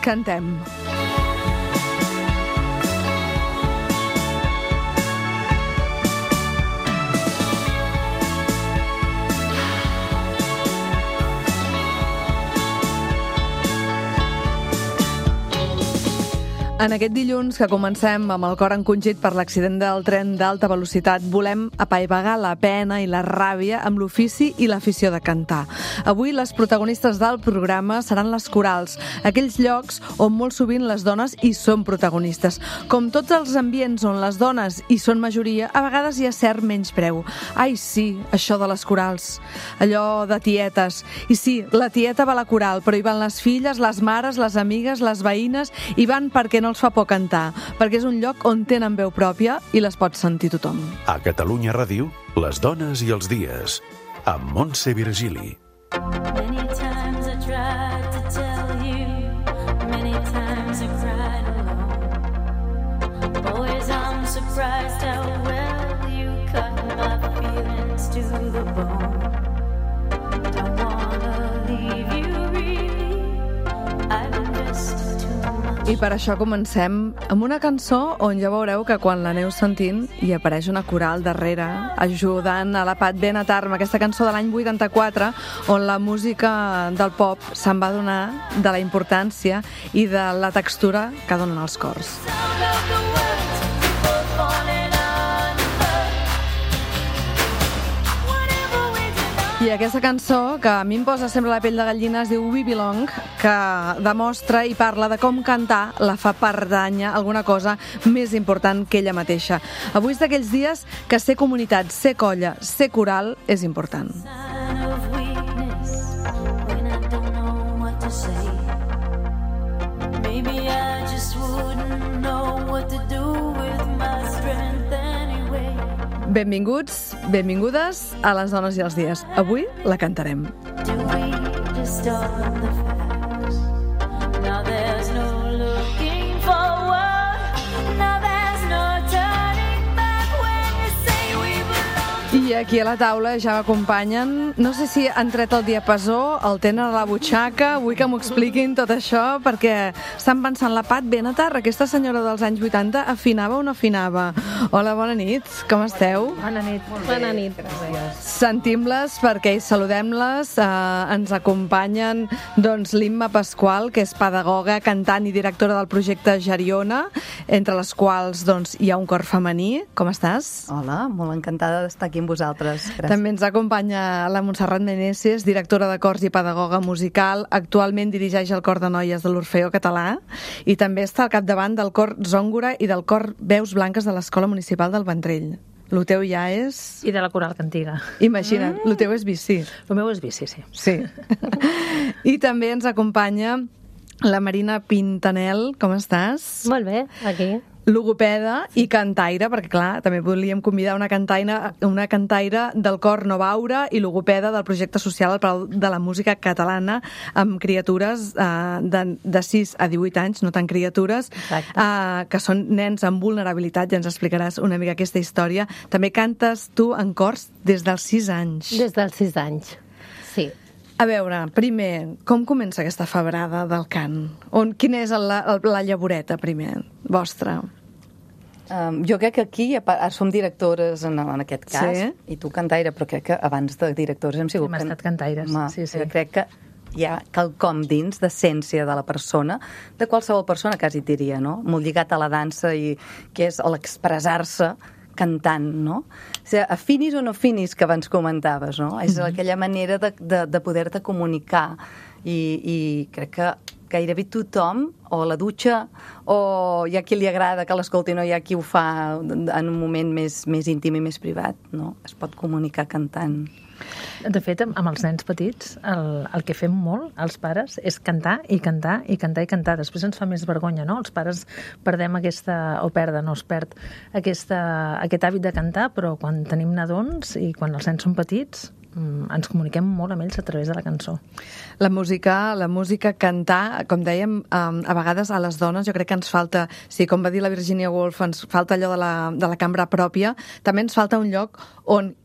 Cantem. En aquest dilluns que comencem amb el cor encongit per l'accident del tren d'alta velocitat, volem apaivagar la pena i la ràbia amb l'ofici i l'afició de cantar. Avui les protagonistes del programa seran les corals, aquells llocs on molt sovint les dones hi són protagonistes. Com tots els ambients on les dones hi són majoria, a vegades hi ha cert menyspreu. Ai, sí, això de les corals, allò de tietes. I sí, la tieta va a la coral, però hi van les filles, les mares, les amigues, les veïnes, hi van perquè no els fa por cantar, perquè és un lloc on tenen veu pròpia i les pot sentir tothom. A Catalunya Ràdio, les dones i els dies, amb Montse Virgili. Many times I tried to tell you, many times I cried alone. Boys, I'm surprised how well you cut my feelings to the bone. Don't wanna leave you really, I've invested too much. I per això comencem amb una cançó on ja veureu que quan l'aneu sentint hi apareix una coral darrere ajudant a la Pat Benatar amb aquesta cançó de l'any 84 on la música del pop se'n va donar de la importància i de la textura que donen els cors. Sound of the words, people falling under. Whatever we do, I aquesta cançó, que a mi em posa sempre la pell de gallina, es diu We Belong, que demostra i parla de com cantar la fa pertànyer a alguna cosa més important que ella mateixa. Avui és d'aquells dies que ser comunitat, ser colla, ser coral és important. sign of weakness when I don't know what to say. Maybe I just wouldn't know what to do with my strength anyway. Benvinguts, benvingudes a les dones i els dies. Avui la cantarem. Do we just stop the facts? Now there's no looking forward. Now there's no turning back when you say we belong. I aquí a la taula ja m'acompanyen, no sé si han tret el diapasó, el tenen a la butxaca, vull que m'ho expliquin tot això, perquè estan pensant, la Pat Benatar, aquesta senyora dels anys 80, afinava o no afinava? Hola, bona nit, com esteu? Bona nit. Bona nit. Gràcies. Sentim-les perquè hi saludem-les, ens acompanyen doncs, l'Imma Pasqual, que és pedagoga, cantant i directora del projecte Geriona, entre les quals doncs, hi ha un cor femení. Com estàs? Hola, molt encantada d'estar aquí amb vosaltres. Gràcies. També ens acompanya la Montserrat Meneses, directora de cors i pedagoga musical. Actualment dirigeix el cor de noies de l'Orfeó Català i també està al capdavant del cor Zòngora i del cor Veus Blanques de l'Escola Municipal del Ventrell. Lo teu ja és... I de la coral cantiga. Imagina't, lo teu és bici. El meu és bici, sí. Sí. I també ens acompanya la Marina Pintanel. Com estàs? Molt bé, aquí. Logopeda i cantaire, perquè clar, també volíem convidar una cantaire del cor Novaura i logopeda del projecte social al Palau de la Música Catalana amb criatures de 6 a 18 anys, no tan criatures, que són nens amb vulnerabilitat, ja ens explicaràs una mica aquesta història. També cantes tu en cors des dels 6 anys. Des dels 6 anys, sí. A veure, primer, com comença aquesta febrada del cant? Quina és la llavoreta, primer, vostra? Jo crec que aquí som directores en aquest cas, Sí. i tu cantaire, però crec que abans de directores hem sigut... Hem estat cantaires, sí, sí. Crec que hi ha quelcom dins d'essència de la persona, de qualsevol persona, quasi diria, no? Molt lligat a la dansa, i que és l'expressar-se cantant, no? O sigui, afinis o no afinis, que abans comentaves, no? És aquella manera de poder-te comunicar, i crec que gairebé tothom, o a la dutxa, o hi ha qui li agrada que l'escolti, no hi ha qui ho fa en un moment més íntim i més privat, no? Es pot comunicar cantant. De fet, amb els nens petits, el que fem molt, els pares, és cantar i cantar i cantar i cantar. Després ens fa més vergonya, no? Els pares perdem es perd aquest hàbit de cantar, però quan tenim nadons i quan els nens són petits, ens comuniquem molt amb ells a través de la cançó. La música, cantar, com dèiem, a vegades a les dones jo crec que ens falta, sí, com va dir la Virginia Woolf, ens falta allò de la cambra pròpia, també ens falta un lloc on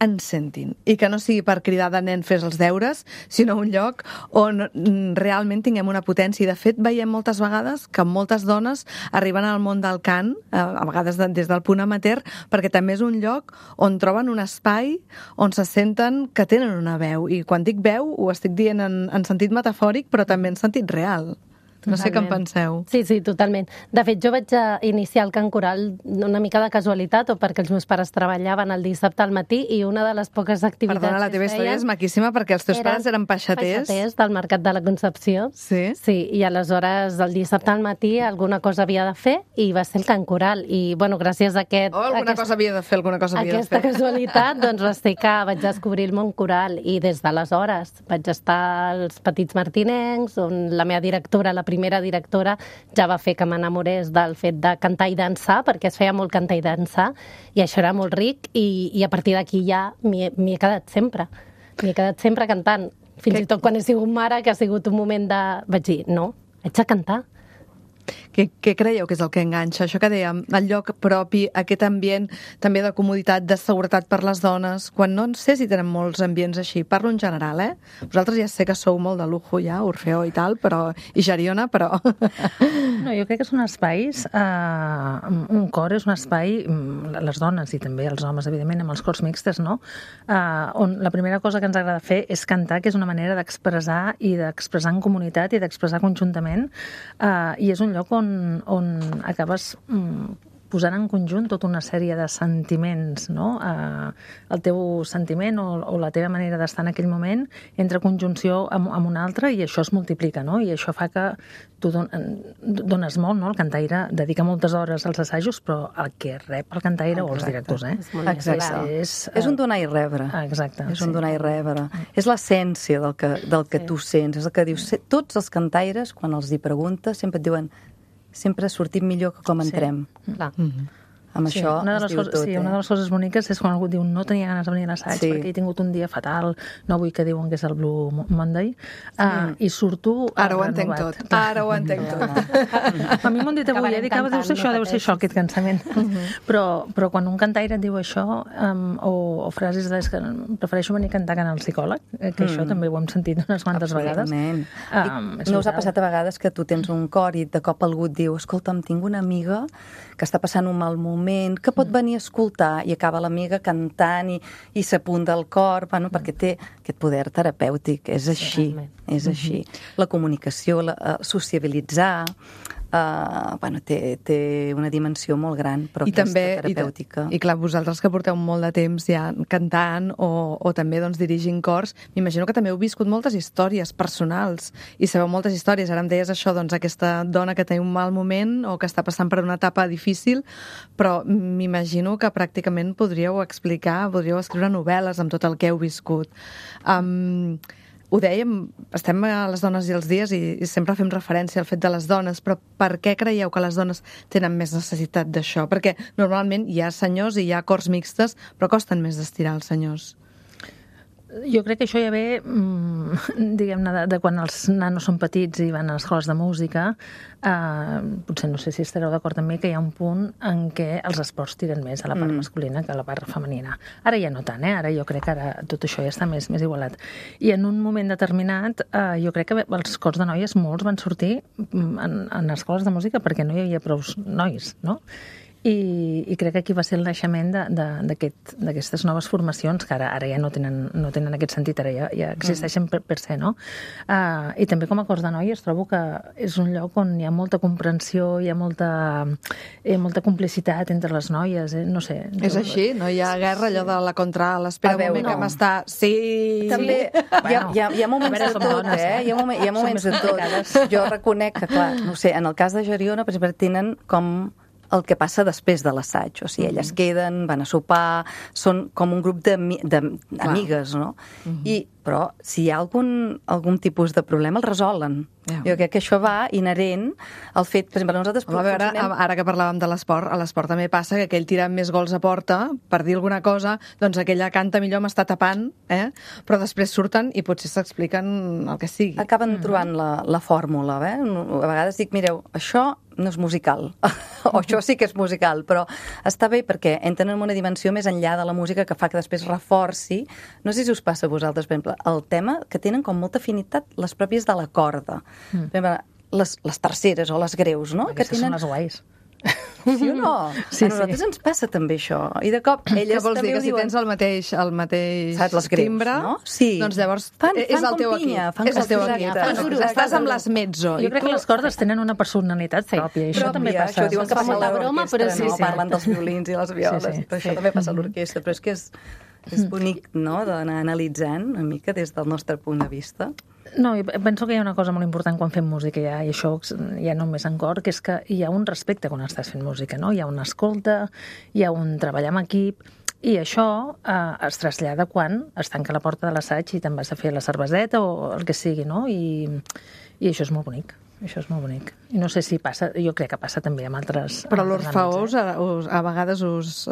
ens sentin i que no sigui per cridar de nen fes els deures, sinó un lloc on realment tinguem una potència. I de fet veiem moltes vegades que moltes dones arriben al món del cant, a vegades des del punt amateur, perquè també és un lloc on troben un espai on se senten que tenen una veu. I quan dic veu ho estic dient en sentit metafòric, però també en sentit real. No sé què en penseu. Sí, totalment. De fet, jo vaig iniciar el cant coral una mica de casualitat o perquè els meus pares treballaven el dissabte al matí i una de les poques activitats Perdona, la teva història és maquíssima perquè els teus pares eren peixaters. Peixaters del Mercat de la Concepció. Sí? Sí, i aleshores el dissabte al matí alguna cosa havia de fer i va ser el cant coral. I, bueno, gràcies a alguna cosa havia de fer. Aquesta casualitat, doncs va ser que vaig descobrir el món coral i des d'aleshores vaig estar als Petits Martinencs, on la meva directora, la primera directora, ja va fer que m'enamorés del fet de cantar i dansar, perquè es feia molt cantar i dansar, i això era molt ric, i a partir d'aquí ja m'hi he quedat sempre. M'hi he quedat sempre cantant. Fins i tot quan he sigut mare, que ha sigut un moment de... Vaig dir, no, haig de cantar. Què creieu que és el que enganxa? Això que dèiem, el lloc propi, aquest ambient també de comoditat, de seguretat per les dones, quan no sé si tenen molts ambients així, parlo en general, Vosaltres ja sé que sou molt de lujo ja, Orfeó i tal, i Geriona, però... No, jo crec que són espais, un cor és un espai, les dones i també els homes, evidentment, amb els cors mixtes, no? On la primera cosa que ens agrada fer és cantar, que és una manera d'expressar i d'expressar en comunitat i d'expressar conjuntament, i és un lloc on acabes posant en conjunt tota una sèrie de sentiments, no? El teu sentiment o la teva manera d'estar en aquell moment entra en conjunció amb un altre i això es multiplica, no? I això fa que tu dones molt, no? El cantaire dedica moltes hores als assajos, però el que rep el cantaire o els directors, Exacte. És un donar i rebre. Exacte. És un donar i rebre. És l'essència del que tu sents. És el que dius. Tots els cantaires, quan els hi preguntes, sempre et diuen sempre sortim millor que com entrem. Clar. Amb això es diu tot. Sí, una de les coses boniques és quan algú diu no tenia ganes de venir a l'assaig perquè he tingut un dia fatal, no vull que diuen que és el Blue Monday, i surto Ara ho entenc tot. Ara ho entenc tot. A mi m'ho han dit avui, dic, deu ser això, aquest cansament. Però quan un cantaire et diu això, o frases que prefereixo venir a cantar que anar al psicòleg, que això també ho hem sentit unes quantes vegades. No us ha passat a vegades que tu tens un cor i de cop algú et diu, escolta'm, tinc una amiga que està passant un mal moment, que pot venir a escoltar, i acaba l'amiga cantant i s'apunta al cor, perquè té aquest poder terapèutic. És així, és així. La comunicació, sociabilitzar, té una dimensió molt gran, però terapèutica. I clar, vosaltres que porteu molt de temps ja cantant o també dirigint cors, m'imagino que també heu viscut moltes històries personals i sabeu moltes històries. Ara em deies això, aquesta dona que té un mal moment o que està passant per una etapa difícil, però m'imagino que pràcticament podríeu escriure novel·les amb tot el que heu viscut. Ho dèiem, estem a les dones i els dies i sempre fem referència al fet de les dones, però per què creieu que les dones tenen més necessitat d'això? Perquè normalment hi ha senyors i hi ha cors mixtes, però costen més d'estirar els senyors. Jo crec que això ja ve, diguem-ne, de quan els nanos són petits i van a les escoles de música. Potser no sé si estareu d'acord amb mi que hi ha un punt en què els esports tiren més a la part masculina que a la part femenina. Ara ja no tant, ara jo crec que ara tot això ja està més igualat. I en un moment determinat, jo crec que els cors de noies molts van sortir en escoles de música perquè no hi havia prou nois, no? I crec que aquí va ser el naixement d'aquestes noves formacions que ara ja no tenen aquest sentit, ara ja existeixen per ser, no? I també com a cors de noies trobo que és un lloc on hi ha molta comprensió, hi ha molta complicitat entre les noies, no sé. És així? No hi ha guerra, allò de la contralt, espera un moment que m'està... Sí! També hi ha moments de tot, Hi ha moments de tot. Jo reconec que, clar, no sé, en el cas de Geriona, per exemple, tenen com el que passa després de l'assaig. O sigui, elles queden, van a sopar, són com un grup d'amigues, no? I però si hi ha algun tipus de problema el resolen. Jo crec que això va inherent al fet, per exemple, nosaltres... A veure, ara que parlàvem de l'esport, a l'esport també passa que aquell tira més gols a porta, per dir alguna cosa, doncs aquella canta millor, m'està tapant, però després surten i potser s'expliquen el que sigui. Acaben trobant la fórmula, A vegades dic, mireu, això no és musical, o això sí que és musical, però està bé perquè entren en una dimensió més enllà de la música que fa que després reforci. No sé si us passa a vosaltres, per exemple, el tema que tenen com molta afinitat les pròpies de la corda. Per exemple, les terceres o les greus, no? Aquestes són les guais. Sí o no? Sí, a nosaltres ens passa també això. I de cop elles que vols també dir que si diuen... tens el mateix saps, les greus, timbre, no? Sí. doncs llavors fan és el teu com pinya, equip. És el teu exacte. equip. Fan soroll. Estàs amb les mezzo. Jo crec que les cordes tenen una personalitat pròpia, i això també passa. Això diuen que Fa passa a molta broma, l'orquestra, però sí, no? sí. Parlen dels violins i les violes, però això també passa a l'orquestra, però és que és bonic, no?, d'anar analitzant una mica des del nostre punt de vista. No, i penso que hi ha una cosa molt important quan fem música, i això ja només en cor, que és que hi ha un respecte quan estàs fent música, no? Hi ha una escolta, hi ha un treballar amb equip, i això es trasllada quan es tanca la porta de l'assaig i te'n vas a fer la cerveseta o el que sigui, no? I això és molt bonic. Això és molt bonic. I no sé si passa, jo crec que passa també amb altres... Però l'Orfeó a vegades us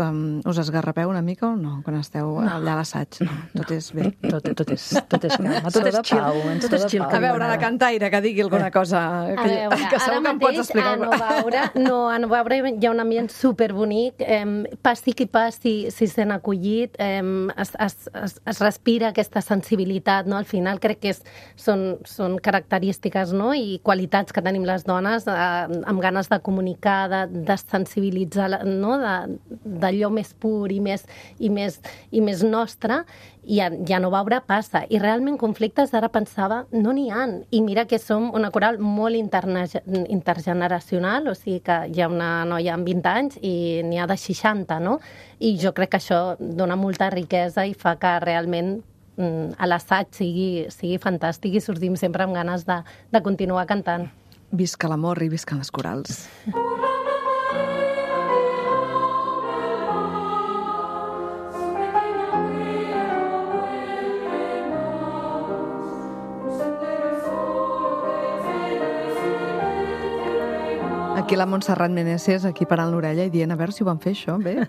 esgarrapeu una mica o no? Quan esteu allà a l'assaig. Tot és bé. Tot és calma, tot és chill. Tot és chill. A veure, la cantaire, que digui alguna cosa que segur que em pots explicar. A Novaure hi ha un ambient superbonic, passi qui passi, si sent acollit, es respira aquesta sensibilitat, no? Al final crec que són característiques, no? I qualitats que tenim les dones amb ganes de comunicar, de sensibilitzar, no? D'allò més pur i més nostre, i a Novaure passa. I realment conflictes, ara pensava, no n'hi ha. I mira que som una coral molt intergeneracional, o sigui que hi ha una noia amb 20 anys i n'hi ha de 60, no? I jo crec que això dona molta riquesa i fa que realment a l'assaig sigui fantàstic i sortim sempre amb ganes de continuar cantant. Visca l'amor i visca les corals. Aquí la Montserrat Meneses, aquí parant l'orella i dient a veure si ho van fer això, bé.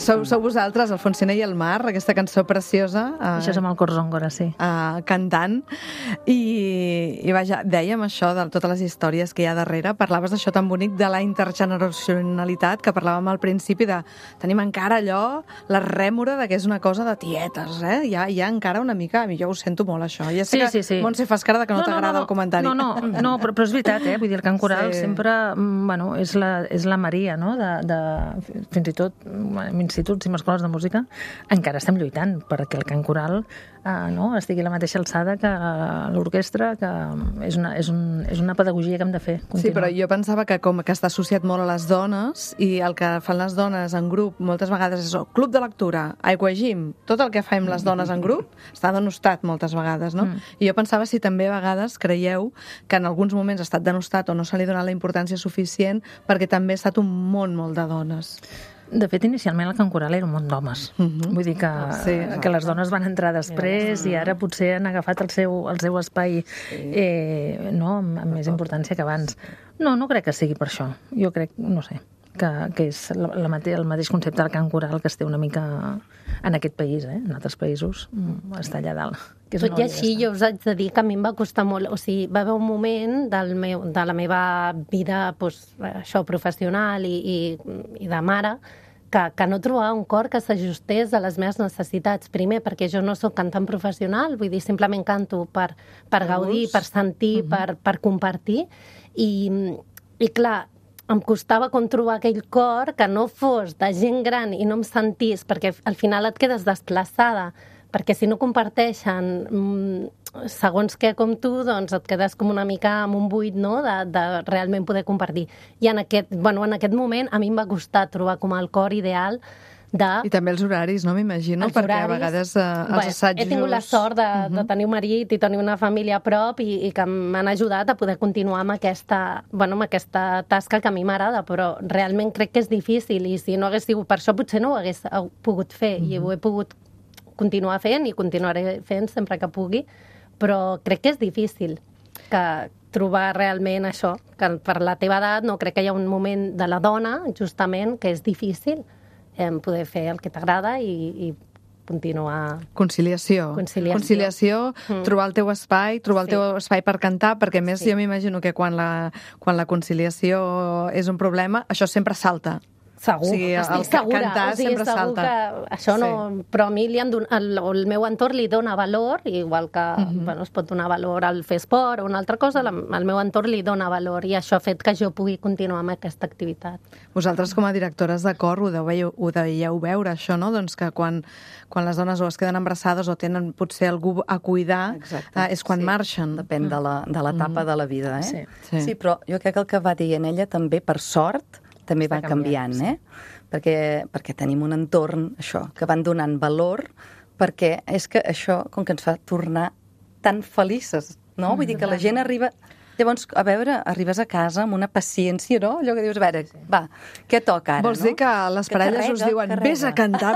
Sou vosaltres, el Fonsener i el Mar, aquesta cançó preciosa. Això és amb el cor Zongora, sí. Cantant. I vaja, dèiem això de totes les històries que hi ha darrere. Parlaves d'això tan bonic de la intergeneracionalitat que parlàvem al principi de tenim encara allò, la rèmora de que és una cosa de tietes, Hi ha encara una mica, a mi jo ho sento molt, això. Ja sé que, Montse, fas cara que no t'agrada el comentari. No, però és veritat, vull dir, el cant coral sempre, bueno, és la Maria, no? Fins i tot en instituts i en escoles de música encara estem lluitant perquè el cant coral estigui a la mateixa alçada que l'orquestra, que és una pedagogia que hem de fer continua. Sí, però jo pensava que com que està associat molt a les dones i el que fan les dones en grup moltes vegades és club de lectura, aquagym, tot el que fem les dones en grup està denostat moltes vegades, no? I jo pensava si també a vegades creieu que en alguns moments ha estat denostat o no se li ha donat la importància suficient perquè també ha estat un món molt de dones. De fet, inicialment el cant coral era un món d'homes. Vull dir que les dones van entrar després i ara potser han agafat el seu espai amb més importància que abans. No crec que sigui per això. Jo crec, no sé, que és el mateix concepte del cant coral que es té una mica en aquest país, en altres països està allà dalt. Tot i així, jo us haig de dir que a mi em va costar molt, o sigui, va haver un moment de la meva vida professional i de mare que no trobava un cor que s'ajustés a les meves necessitats. Primer, perquè jo no sóc cantant professional, vull dir, simplement canto per gaudir, per sentir, per compartir, i clar, em costava com trobar aquell cor que no fos de gent gran i no em sentís, perquè al final et quedes desplaçada, perquè si no comparteixen segons què com tu, doncs et quedes com una mica amb un buit, no?, de realment poder compartir. I en aquest moment a mi em va costar trobar com el cor ideal I també els horaris, no? M'imagino, perquè a vegades els assajos... He tingut la sort de tenir un marit i tenir una família a prop i que m'han ajudat a poder continuar amb aquesta tasca que a mi m'agrada, però realment crec que és difícil i si no hagués sigut per això potser no ho hagués pogut fer i ho he pogut continuar fent i continuaré fent sempre que pugui, però crec que és difícil que trobar realment això, que per la teva edat no crec que hi ha un moment de la dona, justament, que és difícil poder fer el que t'agrada i continuar... Conciliació. Trobar el teu espai, trobar el teu espai per cantar, perquè a més jo m'imagino que quan la conciliació és un problema, això sempre salta. Segur, o sigui, estic segura. Cantar sempre segur salta. Que això no... Però a mi el meu entorn li dona valor, igual que es pot donar valor al fer esport o una altra cosa, el meu entorn li dona valor i això ha fet que jo pugui continuar amb aquesta activitat. Vosaltres, com a directores de cor, ho deieu veure, això, no? Doncs que quan les dones o es queden embarassades o tenen potser algú a cuidar, és quan marxen. Depèn de l'etapa de la vida, eh? Sí, però jo crec que el que va dient ella també, per sort, també va canviant, perquè tenim un entorn, això, que van donant valor, perquè és que això, com que ens fa tornar tan felices, no? Vull dir que la gent arriba... Llavors, a veure, arribes a casa amb una paciència, no? Allò que dius, a veure, va, què toca ara, Vols dir que les parelles us diuen vés a cantar,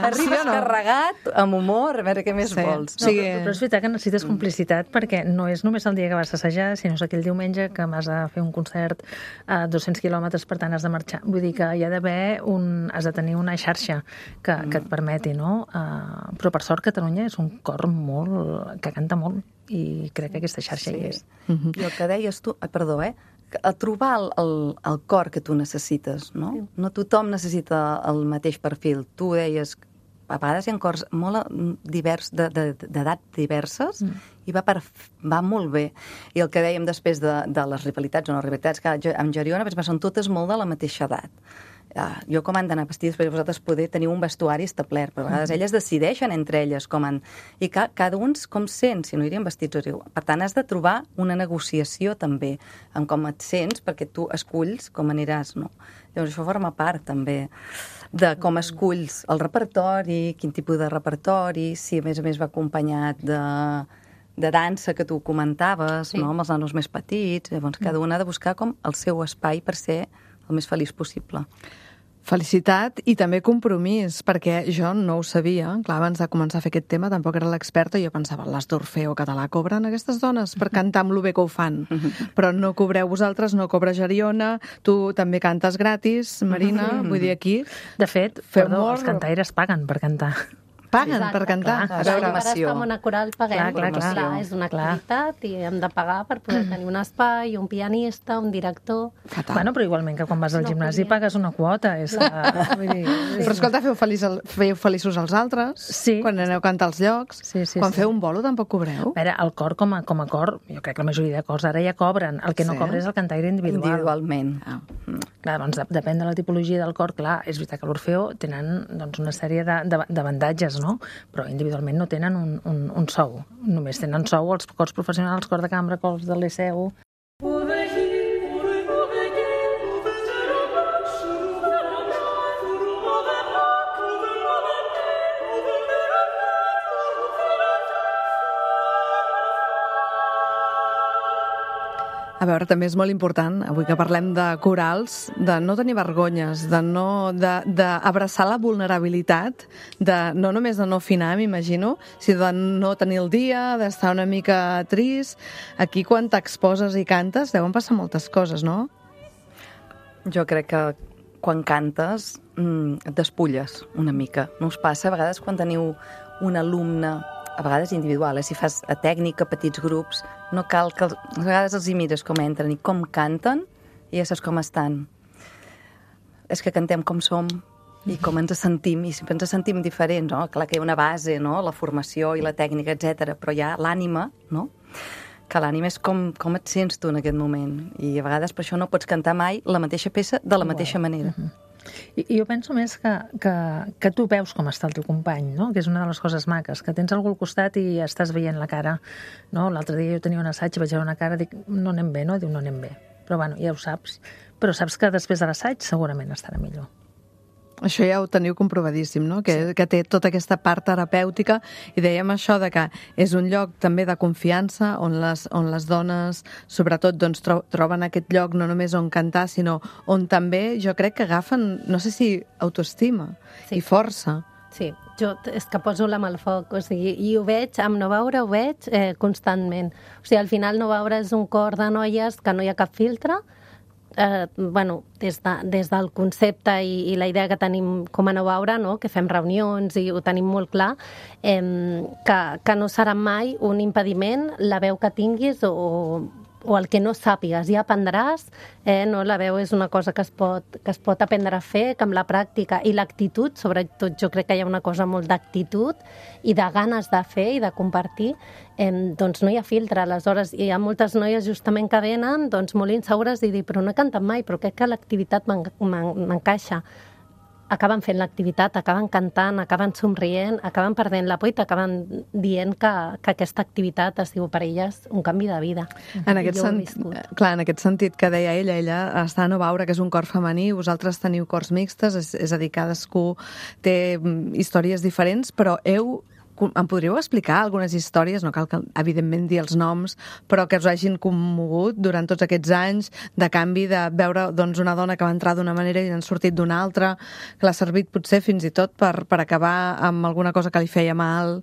Arribes carregat, amb humor, a veure què més vols. No, però és veritat que necessites complicitat perquè no és només el dia que vas assajar, sinó és aquell diumenge que vas a fer un concert a 200 quilòmetres, per tant has de marxar. Vull dir que hi ha d'haver has de tenir una xarxa que et permeti, no? Però per sort Catalunya és un cor que canta molt i crec que aquesta xarxa hi és. I el que deies tu, perdó, a trobar el cor que tu necessites, no? No tothom necessita el mateix perfil. Tu deies, a vegades hi ha cors molt d'edat diverses i va molt bé. I el que dèiem després de les rivalitats o no rivalitats, que amb Geriona són totes molt de la mateixa edat. Jo com han d'anar vestides, perquè vosaltres teniu un vestuari establert, però a vegades elles decideixen entre elles com han... I cada un com sent, si no irien vestits o riu. Per tant, has de trobar una negociació també en com et sents, perquè tu esculls com aniràs, no? Llavors això forma part també de com esculls el repertori, quin tipus de repertori, si a més va acompanyat de dansa que tu comentaves, no? Amb els nanos més petits. Llavors cada una ha de buscar com el seu espai per ser el més feliç possible. Felicitat i també compromís, perquè jo no ho sabia. Clar, abans de començar a fer aquest tema tampoc era l'experta i jo pensava, les d'Orfeo Català cobren aquestes dones per cantar amb lo bé que ho fan. Però no cobreu vosaltres, no cobra Geriona, tu també cantes gratis, Marina, vull dir aquí... De fet, els cantaires paguen per cantar. Paguen per cantar. A veure, per estar en una coral paguem. Clar, és una activitat i hem de pagar per poder tenir un espai, un pianista, un director... Bueno, però igualment que quan vas al gimnasi pagues una quota. Però escolta, feu feliços els altres, quan aneu a cantar als llocs. Quan feu un bolo tampoc cobreu? A veure, el cor com a cor, jo crec que la majoria de cors ara ja cobren. El que no cobra és el cantaire individual. Individualment. Clar, doncs depèn de la tipologia del cor. Clar, és veritat que l'Orfeo tenen una sèrie d'avantatges, no? Però individualment no tenen un sou. Només tenen sou els cors professionals, cor de cambra, cors del Liceu... A veure, també és molt important, avui que parlem de corals, de no tenir vergonyes, d'abraçar la vulnerabilitat, no només de no afinar, m'imagino, sinó de no tenir el dia, d'estar una mica trist. Aquí, quan t'exposes i cantes, deuen passar moltes coses, no? Jo crec que quan cantes et despulles una mica. No us passa? A vegades quan teniu un alumne, a vegades individual, si fas a tècnica, petits grups, no cal que... A vegades els hi mires com entren i com canten i ja saps com estan. És que cantem com som i com ens sentim, i sempre ens sentim diferents, no? Clar que hi ha una base, no? La formació i la tècnica, etc. Però hi ha l'ànima, no? Que l'ànima és com et sents tu en aquest moment. I a vegades per això no pots cantar mai la mateixa peça de la mateixa manera. I jo penso més que tu veus com està el teu company, no? Que és una de les coses maques, que tens algú al costat i estàs veient la cara, no? L'altre dia jo tenia un assaig i vaig veure una cara i dic, no anem bé, no? Diu, no anem bé. Però bueno, ja ho saps. Però saps que després de l'assaig segurament estarà millor. Això ja ho teniu comprovadíssim, no? Que té tota aquesta part terapèutica i dèiem això de que és un lloc també de confiança on les dones sobretot doncs, troben aquest lloc no només on cantar, sinó on també jo crec que agafen, no sé si autoestima i força. Sí, jo és que poso la mà al foc, o sigui, i ho veig, amb No Veure ho veig constantment. O sigui, al final No Veure és un cor de noies que no hi ha cap filtre, des del concepte i la idea que tenim com a No Veure, no? Que fem reunions i ho tenim molt clar, que no serà mai un impediment la veu que tinguis o el que no sàpigues, ja aprendràs, no? La veu és una cosa que es pot aprendre a fer, que amb la pràctica i l'actitud, sobretot jo crec que hi ha una cosa molt d'actitud i de ganes de fer i de compartir, doncs no hi ha filtre. Aleshores, hi ha moltes noies justament que venen doncs, molt insegures i dir, però no he cantat mai, però crec que l'activitat m'encaixa. Acaben fent l'activitat, acaben cantant, acaben somrient, acaben perdent la por i t'acaben dient que aquesta activitat ha sigut per elles un canvi de vida. En aquest sentit que deia ella està a No Veure, que és un cor femení, vosaltres teniu cors mixtes, és a dir, cadascú té històries diferents, però em podríeu explicar algunes històries, no cal que, evidentment, dir els noms, però que us hagin commogut durant tots aquests anys de canvi, de veure una dona que va entrar d'una manera i n'han sortit d'una altra, que l'ha servit potser fins i tot per acabar amb alguna cosa que li feia mal.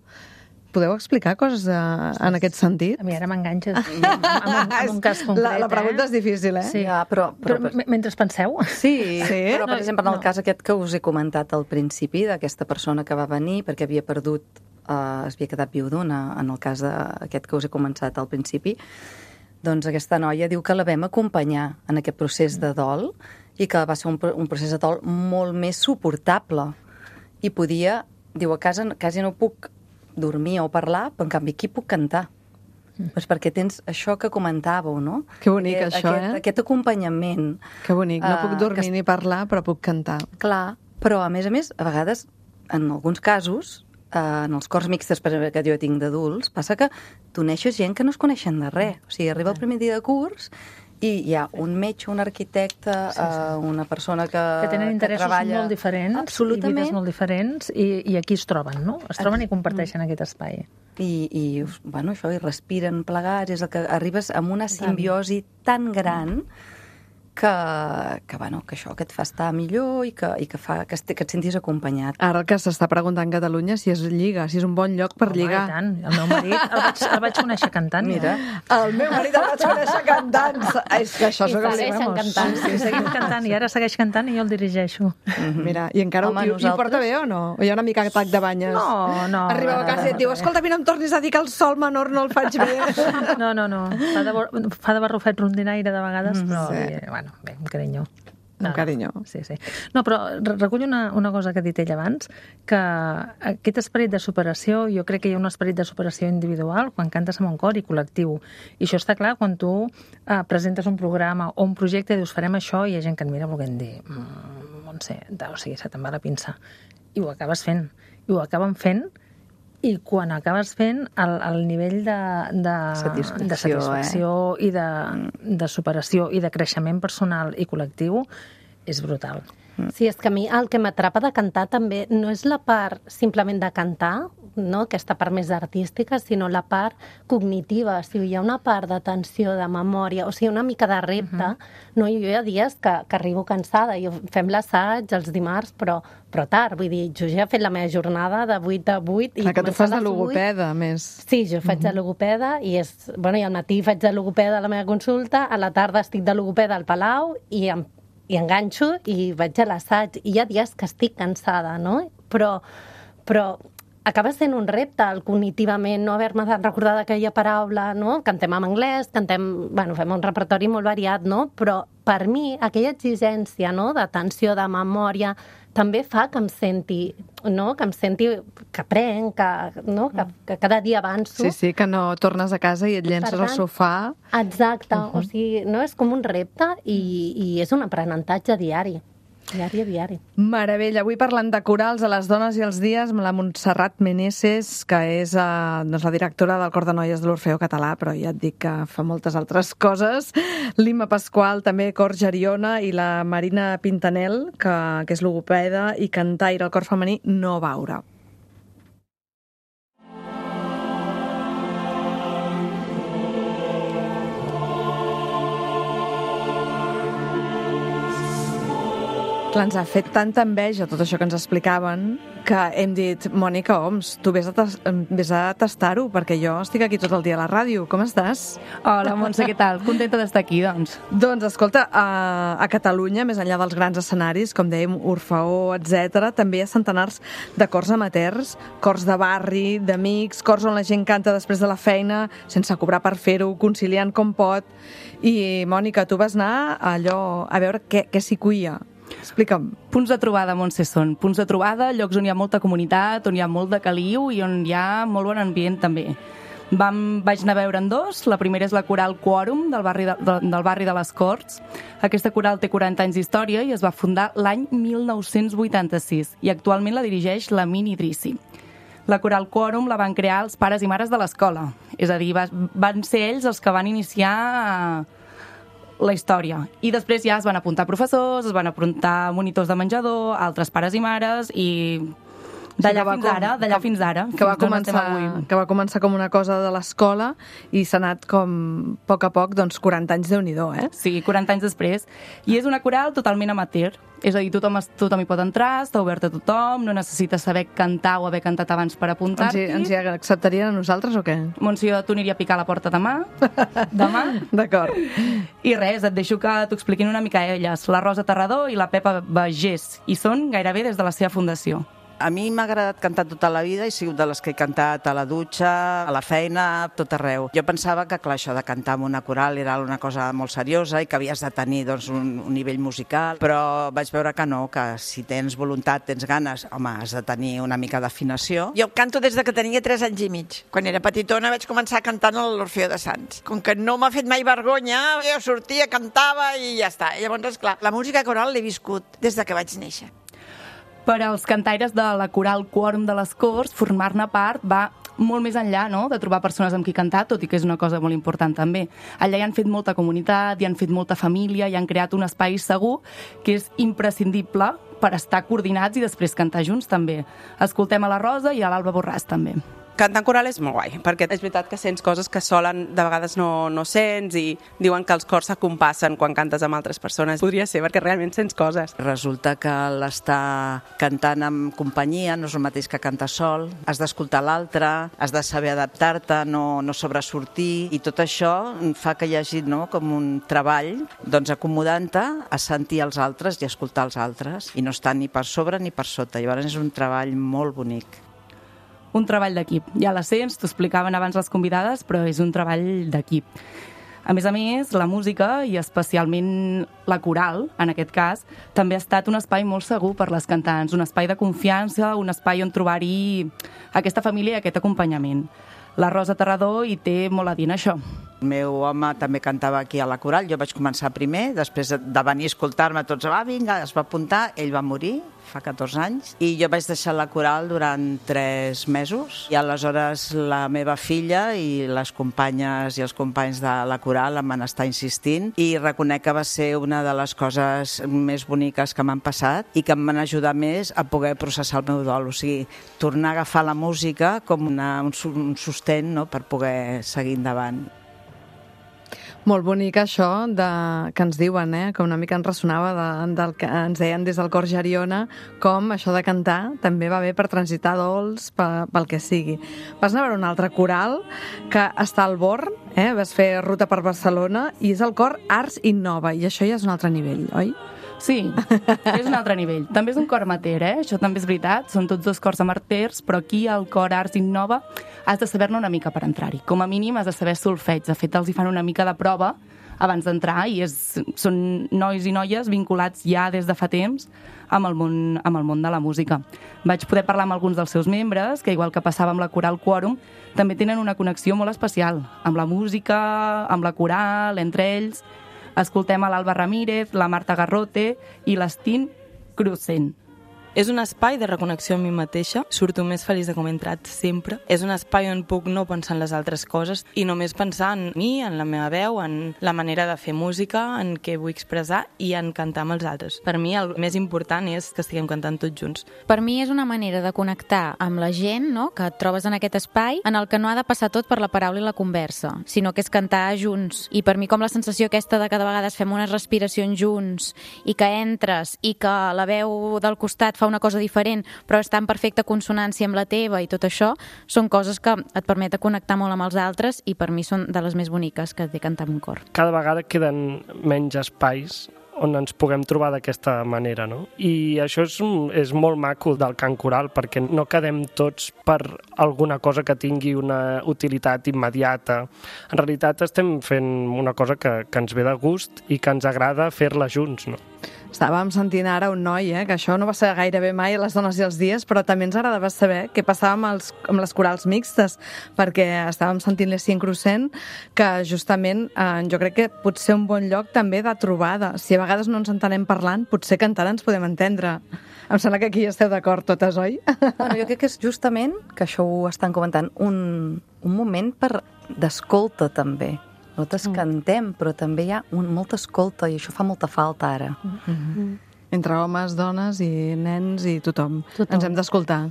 Podeu explicar coses en aquest sentit? A mi ara m'enganxes amb un cas concret. La pregunta és difícil, Sí. Ja, però mentre penseu... Sí, però per exemple, en el cas aquest que us he comentat al principi, d'aquesta persona que va venir perquè havia perdut, es havia quedat viudona, en el cas aquest que us he començat al principi, doncs aquesta noia diu que la vam acompanyar en aquest procés de dol i que va ser un procés de dol molt més suportable. I podia, diu, a casa quasi no puc dormir o parlar, però en canvi aquí puc cantar. Pues perquè tens això que comentàveu, no? Que bonic, això, Aquest acompanyament. Que bonic, no puc dormir ni parlar, però puc cantar. Clar, però a més, a vegades, en alguns casos, en els cors mixtes que jo tinc d'adults, passa que tu neixes gent que no es coneixen de res. O sigui, arriba el primer dia de curs i hi ha un metge, un arquitecte, una persona que tenen interessos molt diferents, absolutament, i vides molt diferents, i aquí es troben, no? Es troben i comparteixen aquest espai. I això, i respiren plegats, és el que arribes amb una simbiosi tan gran que això, que et fa estar millor i que fa que et sentis acompanyat. Ara que s'està preguntant Catalunya si es lliga, si és un bon lloc per lligar. I tant. El meu marit el vaig conèixer cantant. Mira. El meu marit el vaig conèixer cantant. És que això I segueixen cantant. Sí, seguim cantant, i ara segueix cantant i jo el dirigeixo. Mira, i encara ho porta bé o no? O hi ha una mica atac de banyes? No. Arribeu a casa i et diu, escolta, no em tornis a dir que el sol menor no el faig bé. No. Fa de barrufet rondinaire de vegades, però bé, un carinyo. Un carinyo. Sí. No, però recull una cosa que ha dit ell abans, que aquest esperit de superació, jo crec que hi ha un esperit de superació individual quan cantes amb un cor i col·lectiu. I això està clar quan tu presentes un programa o un projecte i dius, farem això, i hi ha gent que et mira volent dir, Montse, o sigui, se te'n va la pinça. I ho acabes fent. I ho acaben fent. I quan acabes fent, el nivell de satisfacció i de superació i de creixement personal i col·lectiu és brutal. Sí, és que a mi el que m'atrapa de cantar també no és la part simplement de cantar, no? Aquesta part més artística, sinó la part cognitiva. O sigui, hi ha una part d'atenció, de memòria, o sigui, una mica de repte. No? Jo hi ha dies que arribo cansada. Fem l'assaig els dimarts, però tard. Vull dir, jo ja he fet la meva jornada de 8 a 8. Clar, que tu fas de logopeda, més. Sí, jo faig de logopeda i al matí faig de logopeda a la meva consulta, a la tarda estic de logopeda al Palau i enganxo i vaig a l'assaig. I hi ha dies que estic cansada, no? Però acaba sent un repte cognitivament, no haver-me de recordar d'aquella paraula, no? Cantem en anglès, fem un repertori molt variat, no? Però per mi aquella exigència, no? D'atenció, de memòria, també fa que em senti, no? Que aprenc, que cada dia avanço. Sí, que no tornes a casa i et llences al sofà. Exacte, o sigui, no? És com un repte i és un aprenentatge diari. Diari. Meravella. Avui parlant de corals a les dones i els dies amb la Montserrat Meneses, que és la directora del Cor de Noies de l'Orfeó Català, però ja et dic que fa moltes altres coses. L'Imma Pasqual, també Cor Geriona, i la Marina Pintanel, que és logopeda i cantaire al cor femení No Veure. Clar, ens ha fet tanta enveja tot això que ens explicaven que hem dit, Mònica Oms, tu vés a tastar-ho, perquè jo estic aquí tot el dia a la ràdio. Com estàs? Hola, Montse, què tal? Contenta d'estar aquí, doncs. Doncs, escolta, a Catalunya, més enllà dels grans escenaris, com dèiem, Orfeó, etc., també hi ha centenars de cors amateurs, cors de barri, d'amics, cors on la gent canta després de la feina, sense cobrar per fer-ho, conciliant com pot. I, Mònica, tu vas anar a veure què s'hi cuia. Explica'm. Punts de trobada, Montse, són punts de trobada, llocs on hi ha molta comunitat, on hi ha molt de caliu i on hi ha molt bon ambient, també. Vaig anar a veure'n dos. La primera és la Coral Quòrum, del barri de les Corts. Aquesta coral té 40 anys d'història i es va fundar l'any 1986 i actualment la dirigeix l'Amin Idrissi. La Coral Quòrum la van crear els pares i mares de l'escola. És a dir, van ser ells els que van iniciar la història. I després ja es van apuntar professors, es van apuntar monitors de menjador, altres pares i mares, i d'allà fins ara. Que va començar com una cosa de l'escola i s'ha anat com, a poc, doncs 40 anys Déu-n'hi-do, eh? Sí, 40 anys després. I és una coral totalment amateur. És a dir, tothom hi pot entrar, està obert a tothom, no necessites saber cantar o haver cantat abans per apuntar-t'hi. Ens hi acceptarien a nosaltres o què? Montse, tu aniria a picar a la porta demà. D'acord. I res, et deixo que t'ho expliquin una mica elles. La Rosa Terrador i la Pepa Bagés. I són gairebé des de la seva fundació. A mi m'ha agradat cantar tota la vida, he sigut de les que he cantat a la dutxa, a la feina, tot arreu. Jo pensava que, clar, això de cantar en una coral era una cosa molt seriosa i que havies de tenir doncs, un nivell musical, però vaig veure que no, que si tens voluntat, tens ganes, home, has de tenir una mica d'afinació. Jo canto des de que tenia 3 anys i mig. Quan era petitona vaig començar cantant a l'Orfeó de Sants. Com que no m'ha fet mai vergonya, jo sortia, cantava i ja està. I llavors, esclar, la música coral l'he viscut des de que vaig néixer. Per als cantaires de la Coral Quòrum de les Corts, formar-ne part va molt més enllà, no?, de trobar persones amb qui cantar, tot i que és una cosa molt important també. Allà hi han fet molta comunitat, hi han fet molta família, hi han creat un espai segur que és imprescindible per estar coordinats i després cantar junts també. Escoltem a la Rosa i a l'Alba Borràs també. Cantar en coral és molt guai, perquè és veritat que sents coses que solen de vegades no sents i diuen que els cors s'acompassen quan cantes amb altres persones. Podria ser, perquè realment sents coses. Resulta que l'estar cantant amb companyia no és el mateix que cantar sol. Has d'escoltar l'altre, has de saber adaptar-te, no sobresortir, i tot això fa que hi hagi com un treball acomodant-te a sentir els altres i escoltar els altres, i no estar ni per sobre ni per sota. Llavors és un treball molt bonic. Un treball d'equip. Ja la sents, t'ho explicaven abans les convidades, però és un treball d'equip. A més, la música, i especialment la coral, en aquest cas, també ha estat un espai molt segur per les cantants, un espai de confiança, un espai on trobar-hi aquesta família i aquest acompanyament. La Rosa Terrador hi té molt a dir en això. El meu home també cantava aquí a la coral, jo vaig començar primer, després de venir a escoltar-me tots, vinga, es va apuntar, ell va morir fa 14 anys, i jo vaig deixar la coral durant 3 mesos, i aleshores la meva filla i les companyes i els companys de la coral em van estar insistint, i reconec que va ser una de les coses més boniques que m'han passat i que em van ajudar més a poder processar el meu dol, o sigui, tornar a agafar la música com un sostén, no?, per poder seguir endavant. Molt bonic això que ens diuen, que una mica ens ressonava del que ens deien des del cor Geriona, com això de cantar també va bé per transitar dols, pel que sigui. Vas anar a veure un altre coral que està al Born, vas fer ruta per Barcelona, i és el cor Arts Innova, i això ja és un altre nivell, oi? Sí, és un altre nivell. També és un cor amateur, això també és veritat. Són tots 2 cors amateurs, però aquí al cor Arts Innova has de saber-ne una mica per entrar-hi. Com a mínim has de saber solfeig. De fet, els hi fan una mica de prova abans d'entrar i són nois i noies vinculats ja des de fa temps amb el món de la música. Vaig poder parlar amb alguns dels seus membres, que igual que passava amb la Coral Quòrum, també tenen una connexió molt especial amb la música, amb la coral, entre ells. Escoltem a l'Alba Ramírez, la Marta Garrote i l'Estín Crucent. És un espai de reconnexió amb mi mateixa, surto més feliç de com he entrat sempre. És un espai on puc no pensar en les altres coses i només pensar en mi, en la meva veu, en la manera de fer música, en què vull expressar i en cantar amb els altres. Per mi el més important és que estiguem cantant tots junts. Per mi és una manera de connectar amb la gent, no?, que et trobes en aquest espai en el que no ha de passar tot per la paraula i la conversa, sinó que és cantar junts. I per mi com la sensació aquesta de que de vegades fem unes respiracions junts i que entres i que la veu del costat fa una cosa diferent però està en perfecta consonància amb la teva i tot això, són coses que et permeten connectar molt amb els altres i per mi són de les més boniques que té cantar amb un cor. Cada vegada queden menys espais on ens puguem trobar d'aquesta manera, no? I això és molt maco del cant coral, perquè no quedem tots per alguna cosa que tingui una utilitat immediata. En realitat estem fent una cosa que ens ve de gust i que ens agrada fer-la junts, no? Estàvem sentint ara un noi, que això no va ser gairebé mai a les dones i els dies, però també ens agradava saber què passava amb les corals mixtes, perquè estàvem sentint l'Essian Crucent, que justament jo crec que pot ser un bon lloc també de trobada. Si a vegades no ens entenem parlant, potser cantant ens podem entendre. Em sembla que aquí esteu d'acord totes, oi? Bueno, jo crec que és justament, que això ho estan comentant, un moment d'escolta també. Nosaltres cantem, però també hi ha molta escolta i això fa molta falta ara. Entre homes, dones i nens i tothom. Ens hem d'escoltar.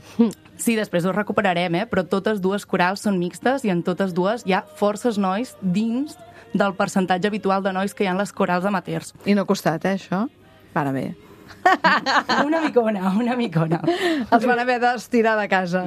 Sí, després ho recuperarem, però totes dues corals són mixtes i en totes dues hi ha forces nois dins del percentatge habitual de nois que hi ha en les corals amateurs. I no ha costat, això? Para bé. Una micona. Els van haver d'estirar de casa.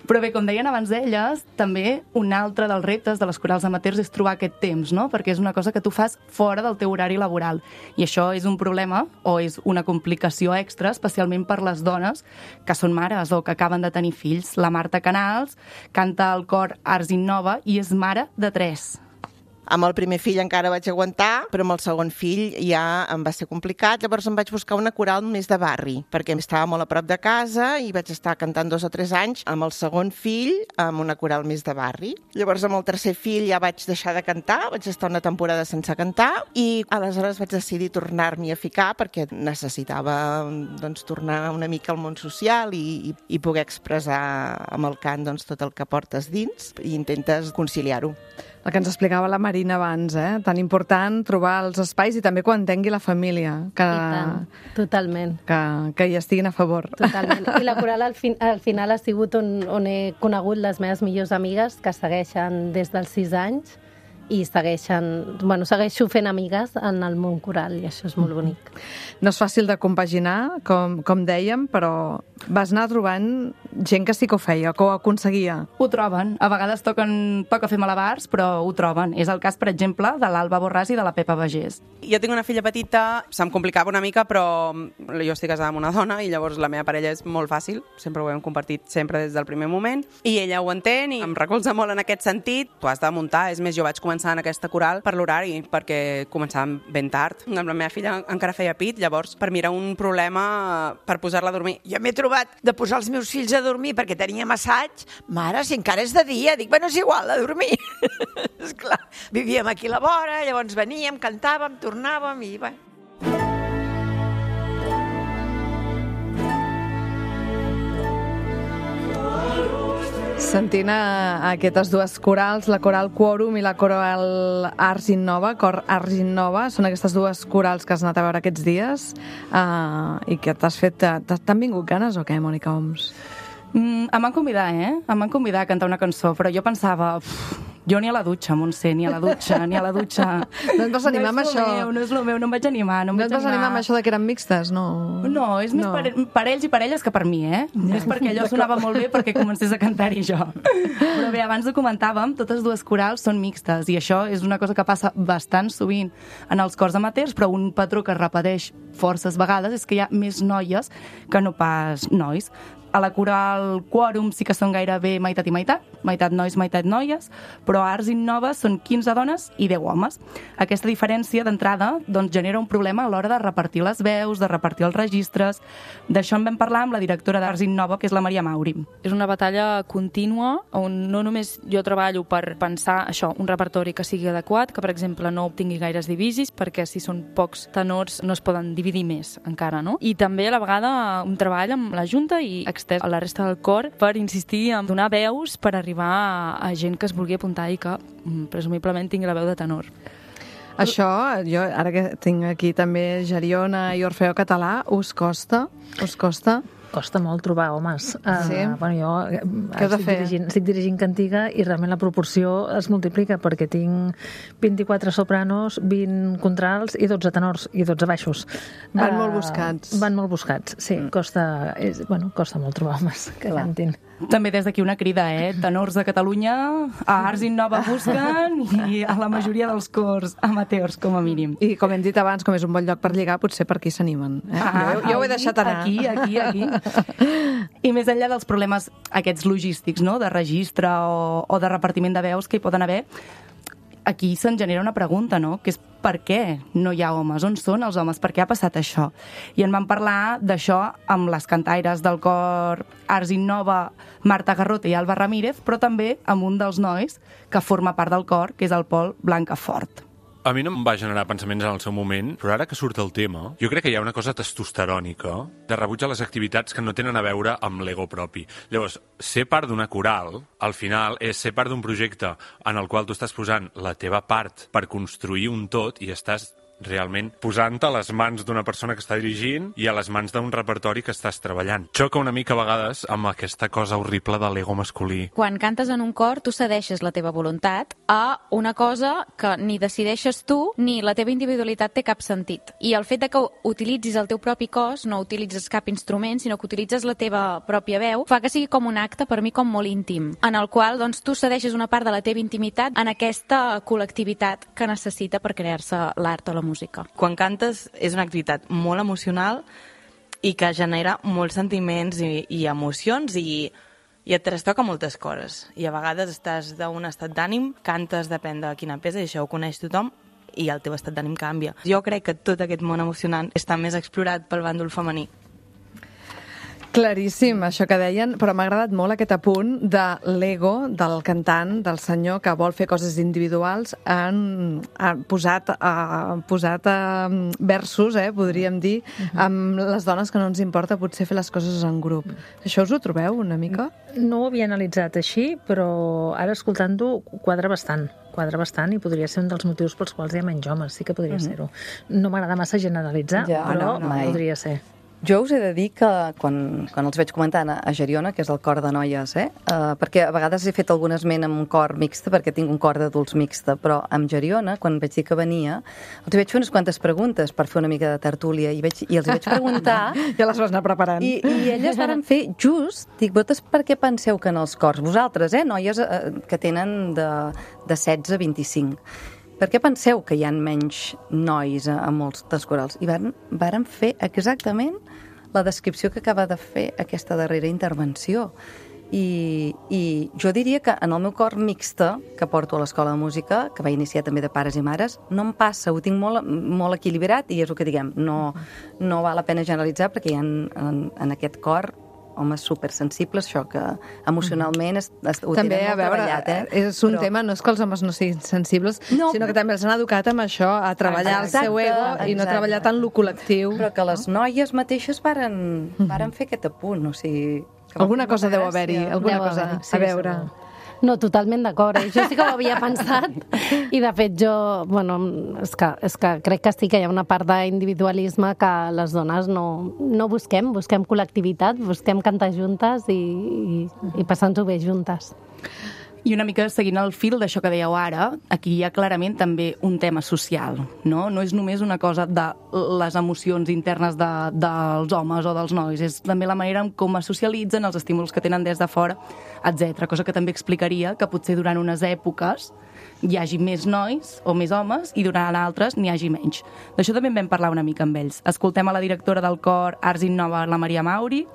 Però bé, com deien abans d'elles, també un altre dels reptes de les corals amateurs és trobar aquest temps, no? Perquè és una cosa que tu fas fora del teu horari laboral. I això és un problema o és una complicació extra, especialment per les dones que són mares o que acaben de tenir fills. La Marta Canals canta al cor Arts Innova i és mare de 3. Amb el primer fill encara vaig aguantar, però amb el segon fill ja em va ser complicat. Llavors em vaig buscar una coral més de barri, perquè estava molt a prop de casa i vaig estar cantant 2 o 3 anys amb el segon fill amb una coral més de barri. Llavors amb el tercer fill ja vaig deixar de cantar, vaig estar una temporada sense cantar i aleshores vaig decidir tornar-m'hi a ficar perquè necessitava tornar una mica al món social i poder expressar amb el cant tot el que portes dins i intentes conciliar-ho. El que ens explicava la Marina abans, tan important trobar els espais i també quan tingui la família. Que, I tant, totalment. Que hi estiguin a favor. Totalment. I la coral al final ha sigut on he conegut les meves millors amigues que segueixen des dels 6 anys i segueixo fent amigues en el món coral i això és molt bonic. No és fàcil de compaginar, com dèiem, però vas anar trobant gent que sí que ho feia, que ho aconseguia. Ho troben. A vegades toca fer malabars, però ho troben. És el cas, per exemple, de l'Alba Borràs i de la Pepa Bagés. Jo tinc una filla petita, se'm complicava una mica, però jo estic casada amb una dona i llavors la meva parella és molt fàcil, sempre ho hem compartit sempre des del primer moment, i ella ho entén i em recolza molt en aquest sentit. Tu has de muntar, és més, jo vaig començar en aquesta coral per l'horari, perquè començàvem ben tard. Amb la meva filla encara feia pit, llavors per mi era un problema per posar-la a dormir. Jo m'he trobat de posar els meus fills a dormir perquè teníem assaig. Mare, si encara és de dia, dic, bueno, és igual, a dormir. Esclar, vivíem aquí a la vora, llavors veníem, cantàvem, tornàvem i bé. Sentint aquestes dues corals, la coral Quòrum i la coral Arts Innova, cor Arts Innova, són aquestes dues corals que has anat a veure aquests dies i que t'has fet... T'han vingut ganes o què, Mònica Oms? Em van convidar, Em van convidar a cantar una cançó, però jo pensava... Jo ni a la dutxa, Montse, ni a la dutxa. No et vas animar amb això? No és el meu, no em vaig animar. No et vas animar amb això de que eren mixtes, no? No, és més per ells i per elles que per mi, És perquè allò sonava molt bé perquè comencés a cantar-hi jo. Però bé, abans ho comentàvem, totes dues corals són mixtes i això és una cosa que passa bastant sovint en els cors amateurs, però un patró que es repeteix forces vegades és que hi ha més noies que no pas nois. A la coral Quòrum sí que són gairebé meitat i meitat nois, meitat noies, però a Arts Innova són 15 dones i 10 homes. Aquesta diferència d'entrada doncs, genera un problema a l'hora de repartir les veus, de repartir els registres. D'això en vam parlar amb la directora d'Arts Innova, que és la Maria Mauri. És una batalla contínua on no només jo treballo per pensar això, un repertori que sigui adequat, que per exemple no obtingui gaires divisis, perquè si són pocs tenors no es poden dividir més encara, no? I també a la vegada un treball amb la Junta i extès a la resta del cor per insistir en donar veus per arribar a gent que es vulgui apuntar i que presumiblement tingui la veu de tenor. Això, jo ara que tinc aquí també Geriona i Orfeó Català, us costa? Costa molt trobar homes. Sí? Bueno, jo Què heu de fer? estic dirigint Cantiga i realment la proporció es multiplica perquè tinc 24 sopranos, 20 contrals i 12 tenors i 12 baixos. Van molt buscats. Van molt buscats, sí. Costa molt trobar homes que cantin. També des d'aquí una crida, tenors de Catalunya, a Arts Innova busquen i a la majoria dels cors amateurs, com a mínim. I com hem dit abans, com és un bon lloc per lligar, potser per aquí s'animen. Jo ho he deixat anar. Aquí. I més enllà dels problemes aquests logístics, no?, de registre o de repartiment de veus que hi poden haver, aquí se'n genera una pregunta, no?, que és per què no hi ha homes? On són els homes? Per què ha passat això? I en vam parlar d'això amb les cantaires del cor Arts Innova, Marta Garrota i Alba Ramírez, però també amb un dels nois que forma part del cor, que és el Pol Blancafort. A mi no em va generar pensaments en el seu moment, però ara que surt el tema, jo crec que hi ha una cosa testosterònica de rebuig a les activitats que no tenen a veure amb l'ego propi. Llavors, ser part d'una coral, al final, és ser part d'un projecte en el qual tu estàs posant la teva part per construir un tot i estàs realment posant-te a les mans d'una persona que està dirigint i a les mans d'un repertori que estàs treballant. Xoca una mica a vegades amb aquesta cosa horrible de l'ego masculí. Quan cantes en un cor, tu cedeixes la teva voluntat a una cosa que ni decideixes tu ni la teva individualitat té cap sentit. I el fet de que utilitzis el teu propi cos, no utilitzes cap instrument, sinó que utilitzes la teva pròpia veu, fa que sigui com un acte, per mi, com molt íntim, en el qual doncs, tu cedeixes una part de la teva intimitat en aquesta col·lectivitat que necessita per crear-se l'art o la música. Quan cantes és una activitat molt emocional i que genera molts sentiments i emocions i et trastoca moltes coses. I a vegades estàs d'un estat d'ànim, cantes depèn de quina peça, i això ho coneix tothom, i el teu estat d'ànim canvia. Jo crec que tot aquest món emocionant està més explorat pel bàndol femení. Claríssim, això que deien, però m'ha agradat molt aquest apunt de l'ego del cantant, del senyor que vol fer coses individuals, han posat versos, podríem dir, amb les dones que no ens importa potser fer les coses en grup. Això us ho trobeu una mica? No ho havia analitzat així, però ara escoltant-ho quadra bastant i podria ser un dels motius pels quals hi ha menys homes, sí que podria ser-ho. No m'agrada massa generalitzar, però podria ser. Jo us he de dir que quan els veig comentant a Geriona, que és el cor de noies, perquè a vegades he fet algun esment amb un cor mixte, perquè tinc un cor d'adults mixte, però amb Geriona, quan vaig dir que venia, els vaig fer unes quantes preguntes per fer una mica de tertúlia, i els vaig preguntar... Ja les vas anar preparant. I elles varen fer just, dic, vosaltres per què penseu que en els cors, vosaltres, noies que tenen de 16 a 25, per què penseu que hi ha menys nois a molts dels corals? I varen fer exactament la descripció que acaba de fer aquesta darrera intervenció. I jo diria que en el meu cor mixte, que porto a l'Escola de Música, que va iniciar també de pares i mares, no em passa, ho tinc molt equilibrat i és el que diguem, no val la pena generalitzar perquè hi ha en aquest cor homes supersensibles, això que emocionalment ho tenen molt treballat. És un tema, no és que els homes no siguin sensibles, sinó que també els han educat amb això, a treballar el seu ego i no treballar tant lo col·lectiu. Però que les noies mateixes varen fer aquest apunt, o sigui... Alguna cosa deu haver-hi, alguna cosa a veure. No, totalment d'acord. Jo sí que ho havia pensat i, de fet, jo... Bueno, és que crec que sí que hi ha una part d'individualisme que les dones no busquem col·lectivitat, busquem cantar juntes i passar-nos-ho bé juntes. I una mica seguint el fil d'això que dèieu ara, aquí hi ha clarament també un tema social, no? No és només una cosa de les emocions internes dels homes o dels nois, és també la manera en com es socialitzen, els estímuls que tenen des de fora, etc. Cosa que també explicaria que potser durant unes èpoques hi hagi més nois o més homes i durant altres n'hi hagi menys. D'això també en vam parlar una mica amb ells. Escoltem a la directora del cor Arts Innova, la Maria Mauri,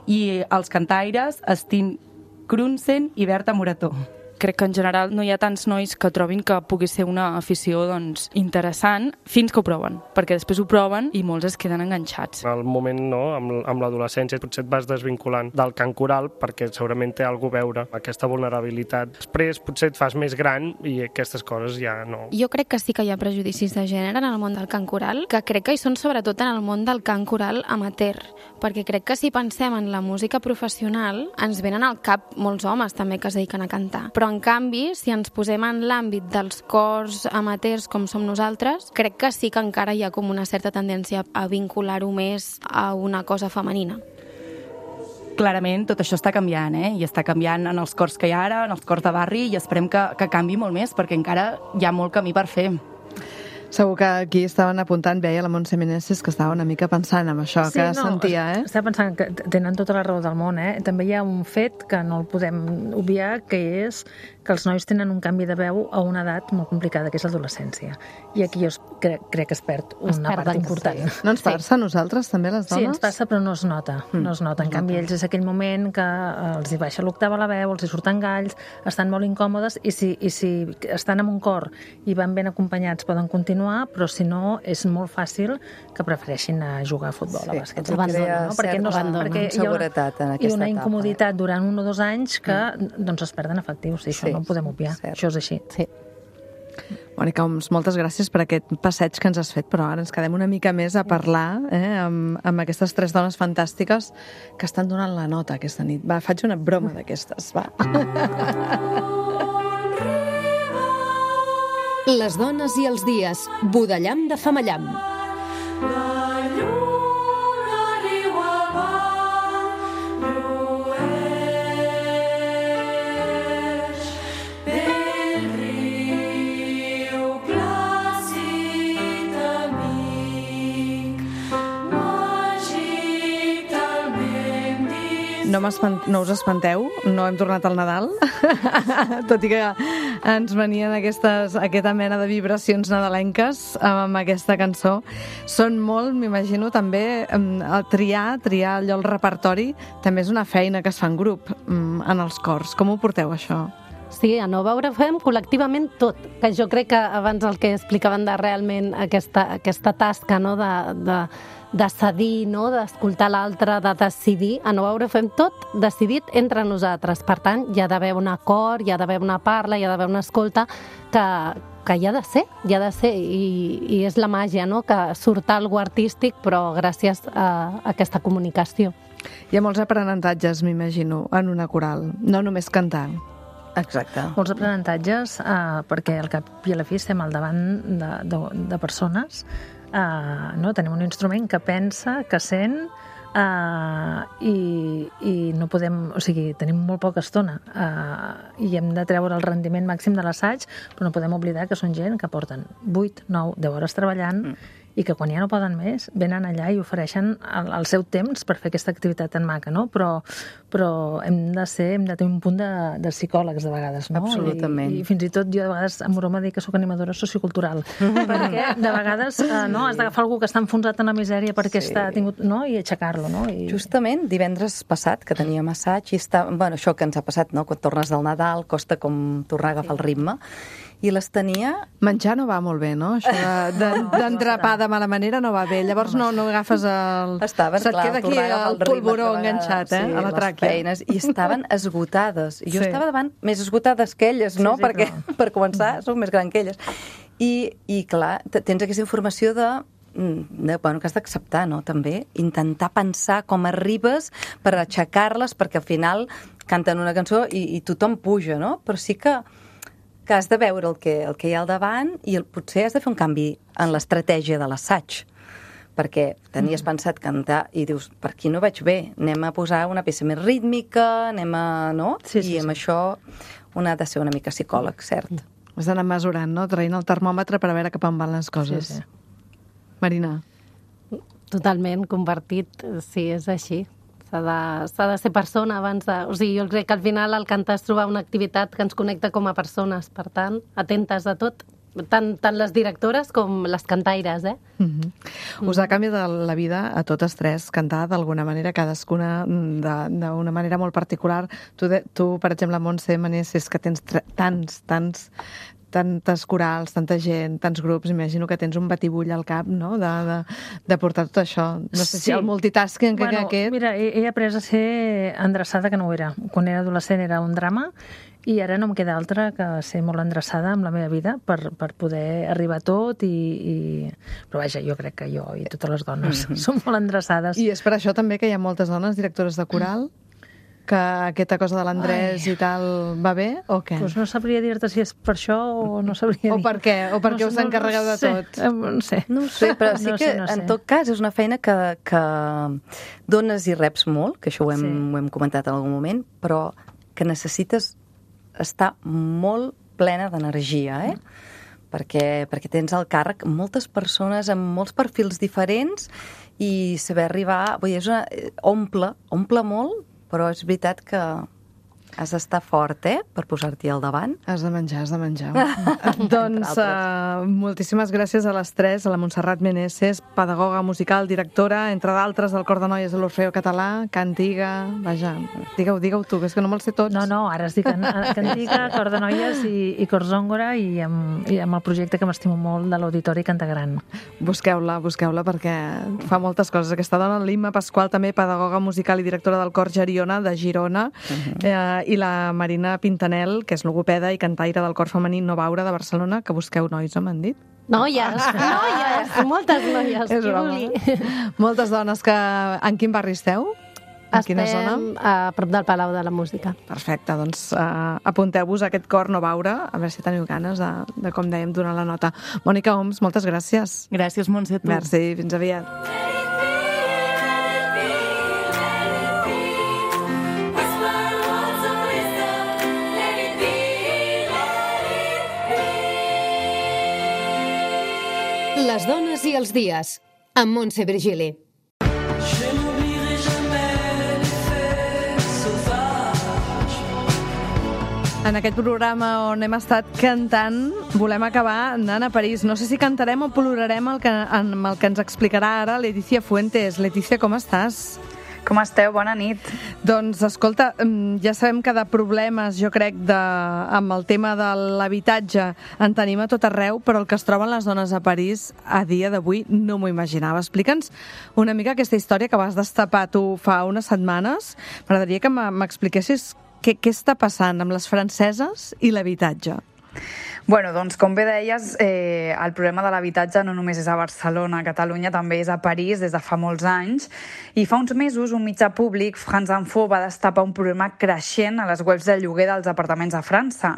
i els cantaires Estin Krunsen i Berta Morató. Crec que en general no hi ha tants nois que trobin que pugui ser una afició doncs, interessant fins que ho proven, perquè després ho proven i molts es queden enganxats. Al moment, no, amb l'adolescència, potser et vas desvinculant del cant coral perquè segurament té alguna cosa a veure aquesta vulnerabilitat. Després potser et fas més gran i aquestes coses ja no. Jo crec que sí que hi ha prejudicis de gènere en el món del cant coral, que crec que hi són sobretot en el món del cant coral amateur, perquè crec que si pensem en la música professional ens venen al cap molts homes també que es dediquen a cantar. Però en canvi, si ens posem en l'àmbit dels cors amateurs com som nosaltres, crec que sí que encara hi ha com una certa tendència a vincular-ho més a una cosa femenina. Clarament tot això està canviant, i està canviant en els cors que hi ha ara, en els cors de barri, i esperem que canvi molt més, perquè encara hi ha molt camí per fer. Segur que aquí estaven apuntant, veia la Montse Meneses, que estava una mica pensant en això, que sentia, Estava pensant que tenen tota la raó del món, També hi ha un fet que no el podem obviar, que és que els nois tenen un canvi de veu a una edat molt complicada, que és l'adolescència. I aquí jo crec que es perd una part important. Sí. No ens passa a nosaltres, també, les dones? Sí, ens passa, però no es nota. No es nota. En canvi, ells és aquell moment que els hi baixa l'octava la veu, els hi surten galls, estan molt incòmodes, i si estan en un cor i van ben acompanyats poden continuar, però si no, és molt fàcil que prefereixin jugar a futbol, a bàsquet. Perquè hi ha una incomoditat durant 1 o 2 anys que es perden efectius, i això no ho podem obviar. Això és així. Sí. Mònica Oms, moltes gràcies per aquest passeig que ens has fet, però ara ens quedem una mica més a parlar amb aquestes 3 dones fantàstiques que estan donant la nota aquesta nit. Va, faig una broma d'aquestes, va. Les dones i els dies, Budellam de Femallam. No us espanteu, no hem tornat al Nadal, tot i que ens venien aquesta mena de vibracions nadalenques amb aquesta cançó. Són molt, m'imagino, també triar allò al repertori, també és una feina que es fa en grup en els cors. Com ho porteu, això? Sí, a Nova Hora fem col·lectivament tot, que jo crec que abans el que explicaven de realment aquesta tasca, no?, de cedir, no?, d'escoltar l'altre, de decidir. A Nova Hora fem tot decidit entre nosaltres. Per tant, hi ha d'haver un acord, hi ha d'haver una parla, hi ha d'haver una escolta que hi ha de ser, i és la màgia, no?, que surt algo artístic, però gràcies a aquesta comunicació. Hi ha molts aprenentatges, m'imagino, en una coral, no només cantar. Exacte. Molts aprenentatges, perquè al cap i a la fi estem al davant de persones. Tenim un instrument que pensa, que sent, i no podem, o sigui, tenim molt poca estona i hem de treure el rendiment màxim de l'assaig, però no podem oblidar que són gent que porten 8, 9, 10 hores treballant i que quan ja no poden més venen allà i ofereixen el seu temps per fer aquesta activitat tan maca, no? Però hem de tenir un punt de psicòlegs de vegades, no? Absolutament. I fins i tot jo de vegades em broma dir que soc animadora sociocultural, perquè de vegades has d'agafar algú que està enfonsat en la misèria perquè està tingut, no?, i aixecar-lo, no? Justament divendres passat, que teníem assaig, i això que ens ha passat, no?, quan tornes del Nadal, costa com tornar a agafar el ritme, i les tenia... Menjar no va molt bé, no? Això d'entrapar de mala manera no va bé. Llavors no agafes el... Se't queda aquí el polvoró enganxat, a la tràquea. Feines, i estaven esgotades. I jo estava davant més esgotades que elles, no? Perquè, per començar, soc més gran que elles. I clar, tens aquesta informació que has d'acceptar, no?, també. Intentar pensar com arribes per aixecar-les, perquè al final canten una cançó i tothom puja, no? Però sí que has de veure el que hi ha al davant i potser has de fer un canvi en l'estratègia de l'assaig, perquè tenies pensat cantar i dius, per aquí no vaig bé, anem a posar una peça més rítmica, no? I amb això un ha de ser una mica psicòleg, cert. Has d'anar mesurant, no?, traient el termòmetre per a veure cap on van les coses. Sí. Marina. Totalment compartit, sí, és així. S'ha de ser persona abans de... O sigui, jo crec que al final el cantar és trobar una activitat que ens connecta com a persones, per tant, atentes a tot. tant les directores com les cantaires, Us ha canviat la vida a totes tres, cantar d'alguna manera, cadascuna d'una manera molt particular. Tu per exemple, Montse Manés, és que tens tantes corals, tanta gent, tants grups, imagino que tens un batibull al cap, no?, de portar tot això. No sé si el multitasking aquest... Mira, he après a ser endreçada, que no ho era. Quan era adolescent era un drama, i ara no em queda altra que ser molt endreçada amb la meva vida per poder arribar a tot però vaja, jo crec que jo i totes les dones som molt endreçades. I és per això també que hi ha moltes dones directores de coral? Que aquesta cosa de l'Andrés i tal va bé, o què? Doncs no sabria dir-te si és per això o no sabria dir. O per què? O perquè us encarregueu de tot? No sé. No ho sé, però sí que en tot cas és una feina que dones i reps molt, que això ho hem comentat en algun moment, però que necessites estar molt plena d'energia, perquè tens al càrrec moltes persones amb molts perfils diferents i saber arribar... Omple molt, però és veritat que has d'estar fort, per posar-t'hi al davant. Has de menjar. Doncs moltíssimes gràcies a les tres, a la Montserrat Meneses, pedagoga musical, directora, entre d'altres, del Cor de Noies de l'Orfeó Català, Cantiga... Vaja, digue-ho tu, que és que no me'ls sé tots. No, ara es dic Cantiga, Cor de Noies i Cor Zòngora, i amb el projecte que m'estimo molt de l'Auditori Cantagran. Busqueu-la, perquè fa moltes coses. Aquesta dona, l'Imma Pasqual, també pedagoga musical i directora del Cor Geriona, de Girona, i la Marina Pintanel, que és logopeda i cantaire del Cor Femení No Baure de Barcelona, que busqueu nois, m'han dit? Noies, moltes noies. És broma. Moltes dones que... En quin barri esteu? En quina zona? Estem a prop del Palau de la Música. Perfecte, doncs apunteu-vos a aquest Cor No Baure, a veure si teniu ganes de com dèiem, donar la nota. Mònica Oms, moltes gràcies. Gràcies, Montse, tu. Merci, fins aviat. Les dones i els dies, amb Montse Virgili. En aquest programa on hem estat cantant, volem acabar anant a París. No sé si cantarem o plorarem amb el que ens explicarà ara Letícia Fuentes. Letícia, com estàs? Com esteu? Bona nit. Doncs, escolta, ja sabem que de problemes, jo crec, amb el tema de l'habitatge en tenim a tot arreu, però el que es troben les dones a París a dia d'avui no m'ho imaginava. Explica'ns una mica aquesta història que vas destapar tu fa unes setmanes. M'agradaria que m'expliquessis què està passant amb les franceses i l'habitatge. Bueno, doncs, com bé deies, el problema de l'habitatge no només és a Barcelona, a Catalunya, també és a París des de fa molts anys. I fa uns mesos, un mitjà públic, France Info, va destapar un problema creixent a les webs de lloguer dels apartaments a França.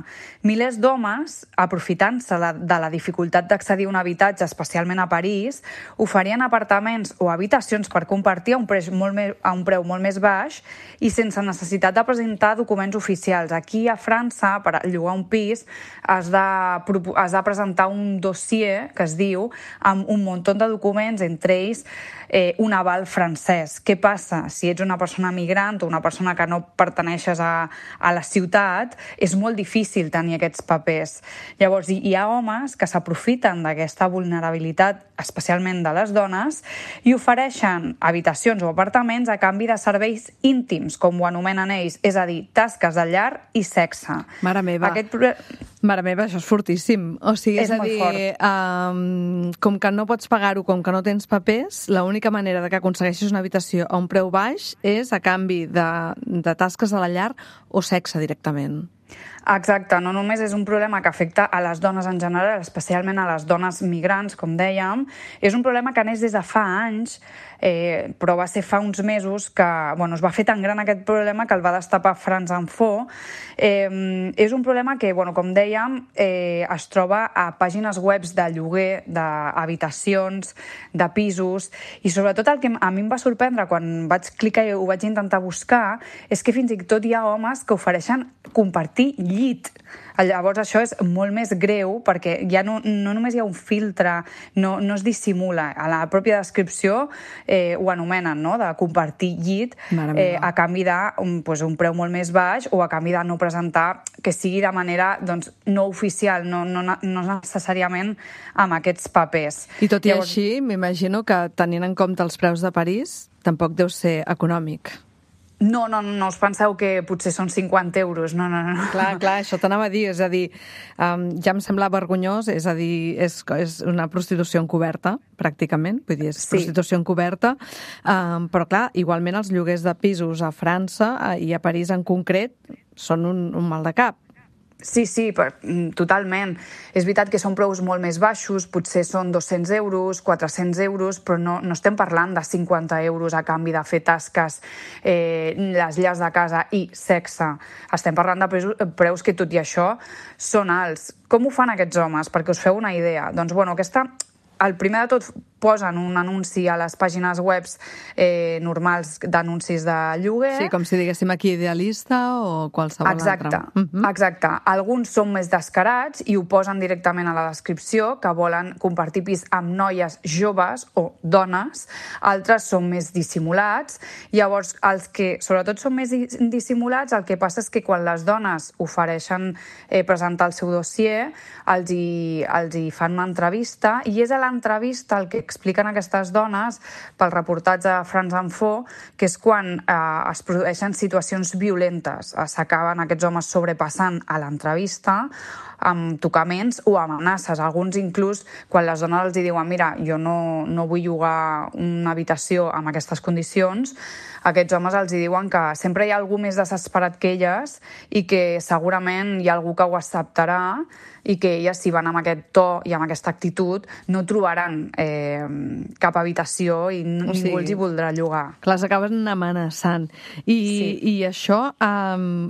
Milers d'homes, aprofitant-se de la dificultat d'accedir a un habitatge, especialment a París, oferien apartaments o habitacions per compartir a un preu molt més baix i sense necessitat de presentar documents oficials. Aquí, a França, per llogar un pis, has de presentar un dossier, que es diu, amb un munt de documents, entre ells un aval francès. Què passa? Si ets una persona migrant o una persona que no perteneixes a la ciutat, és molt difícil tenir aquests papers. Llavors, hi ha homes que s'aprofiten d'aquesta vulnerabilitat, especialment de les dones, i ofereixen habitacions o apartaments a canvi de serveis íntims, com ho anomenen ells, és a dir, tasques de llar i sexe. Mare meva, això és fortíssim. O sigui, és a dir, com que no pots pagar-ho, com que no tens papers, l'única manera de que aconsegueixis una habitació a un preu baix és a canvi de tasques de la llar o sexe directament. Exacte, no només és un problema que afecta a les dones en general, especialment a les dones migrants, com dèiem, és un problema que neix des de fa anys, però va ser fa uns mesos que es va fer tan gran aquest problema que el va destapar France Info. És un problema que, com dèiem, es troba a pàgines webs de lloguer, d'habitacions, de pisos, i sobretot el que a mi em va sorprendre quan vaig clicar i ho vaig intentar buscar és que fins i tot hi ha homes que ofereixen compartir llit. Llavors això és molt més greu perquè ja no només hi ha un filtre, no es dissimula. A la pròpia descripció ho anomenen, no?, de compartir llit a canvi d'un preu molt més baix o a canvi de no presentar, que sigui de manera no oficial, no necessàriament amb aquests papers. I tot i així, m'imagino que tenint en compte els preus de París, tampoc deu ser econòmic. No us penseu que potser són 50 euros, no. Clar, això t'anava a dir, és a dir, ja em sembla vergonyós, és a dir, és una prostitució encoberta, pràcticament, vull dir, és prostitució encoberta, però clar, igualment els lloguers de pisos a França i a París en concret són un mal de cap. Sí, totalment. És veritat que són preus molt més baixos, potser són 200 euros, 400 euros, però no estem parlant de 50 euros a canvi de fer tasques, les llars de casa i sexe. Estem parlant de preus que, tot i això, són alts. Com ho fan aquests homes? Perquè us feu una idea. Doncs, el primer de tot posen un anunci a les pàgines webs normals d'anuncis de lloguer. Sí, com si diguéssim aquí Idealista o qualsevol altre. Exacte. Alguns són més descarats i ho posen directament a la descripció, que volen compartir pis amb noies joves o dones. Altres són més dissimulats. Llavors, els que sobretot són més dissimulats, el que passa és que quan les dones ofereixen presentar el seu dossier, els hi fan una entrevista, i és a l'entrevista el que expliquen aquestes dones pel reportatge de France Info, que és quan es produeixen situacions violentes. S'acaben aquests homes sobrepassant a l'entrevista amb tocaments o amenaces. Alguns inclús, quan les dones els diuen mira, jo no vull llogar una habitació amb aquestes condicions, aquests homes els diuen que sempre hi ha algú més desesperat que elles i que segurament hi ha algú que ho acceptarà i que elles, si van amb aquest to i amb aquesta actitud, no trobaran cap habitació i ningú els hi voldrà llogar. Clar, s'acaben amenaçant. I això,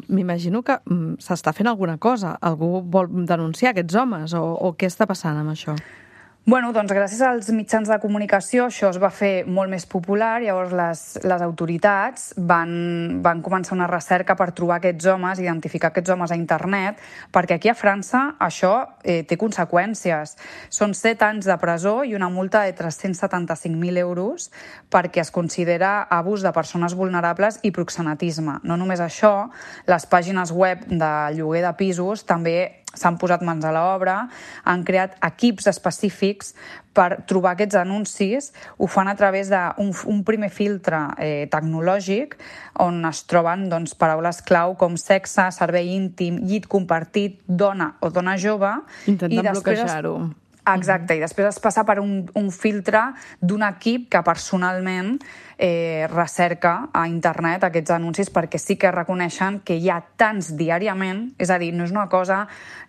m'imagino que s'està fent alguna cosa. Algú vol denunciar aquests homes o què està passant amb això? Doncs gràcies als mitjans de comunicació això es va fer molt més popular. Llavors les autoritats van començar una recerca per trobar aquests homes, identificar aquests homes a internet, perquè aquí a França això té conseqüències. Són 7 anys de presó i una multa de 375.000 euros perquè es considera abús de persones vulnerables i proxenetisme. No només això, les pàgines web de lloguer de pisos també s'han posat mans a l'obra, han creat equips específics per trobar aquests anuncis. Ho fan a través d'un primer filtre tecnològic on es troben paraules clau com sexe, servei íntim, llit compartit, dona o dona jove. Intentant bloquejar-ho. Exacte, i després es passa per un filtre d'un equip que personalment recerca a internet aquests anuncis, perquè sí que reconeixen que hi ha tants diàriament, és a dir, no és una cosa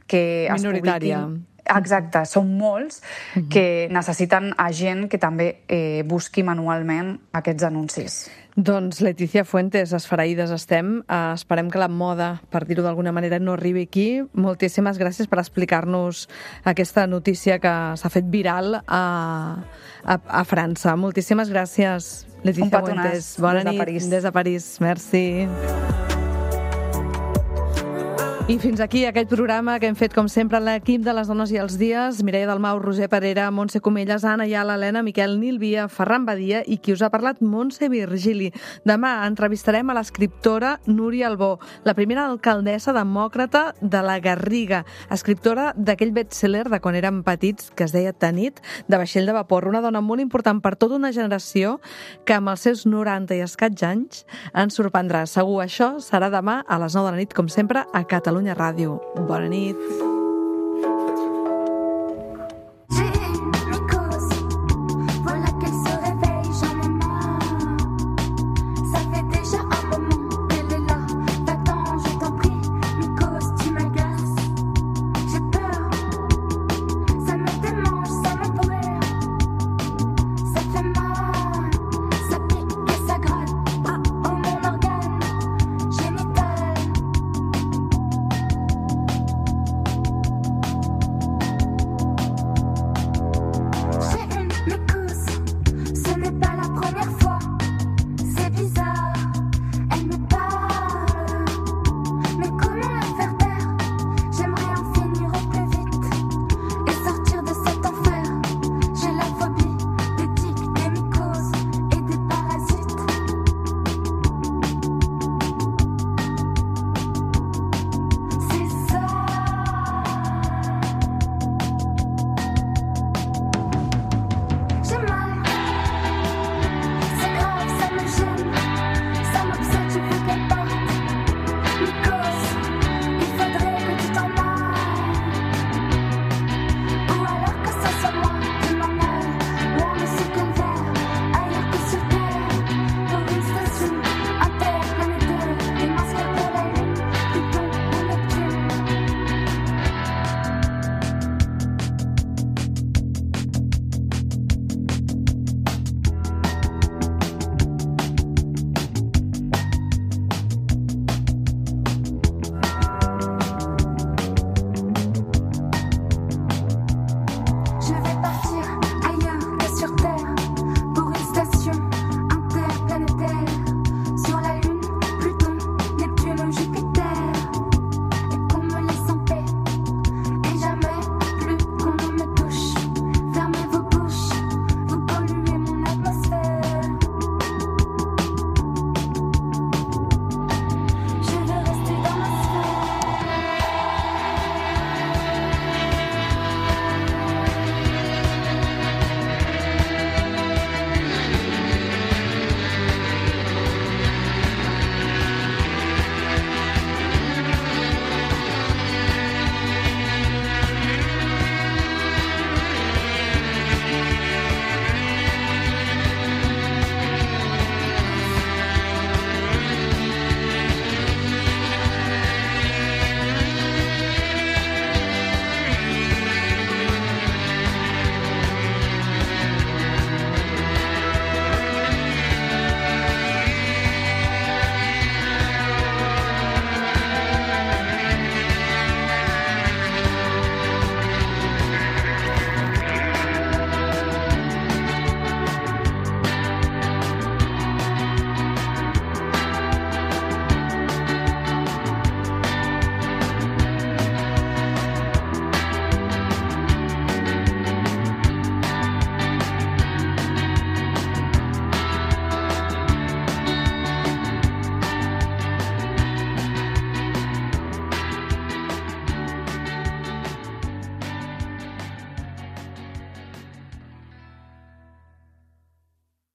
que es minoritària. Exacte, són molts que necessiten a gent que també busqui manualment aquests anuncis. Doncs Letícia Fuentes, esfereïdes estem. Esperem que la moda, per dir-ho d'alguna manera, no arribi aquí. Moltíssimes gràcies per explicar-nos aquesta notícia que s'ha fet viral a França. Moltíssimes gràcies, Letícia Fuentes. Bona nit des de París. Merci. I fins aquí aquest programa que hem fet, com sempre, l'equip de les Dones i els Dies. Mireia Dalmau, Roser Parera, Montse Comelles, Anna Ayala, Helena, Miquel Nilvia, Ferran Badia i qui us ha parlat, Montse Virgili. Demà entrevistarem a l'escriptora Núria Albó, la primera alcaldessa demòcrata de la Garriga, escriptora d'aquell best-seller de quan érem petits que es deia Tanit, de vaixell de vapor. Una dona molt important per tota una generació que amb els seus 90 i escaig anys ens sorprendrà. Segur, això serà demà a les 9 de la nit, com sempre, a Catalunya Ràdio. Bona nit.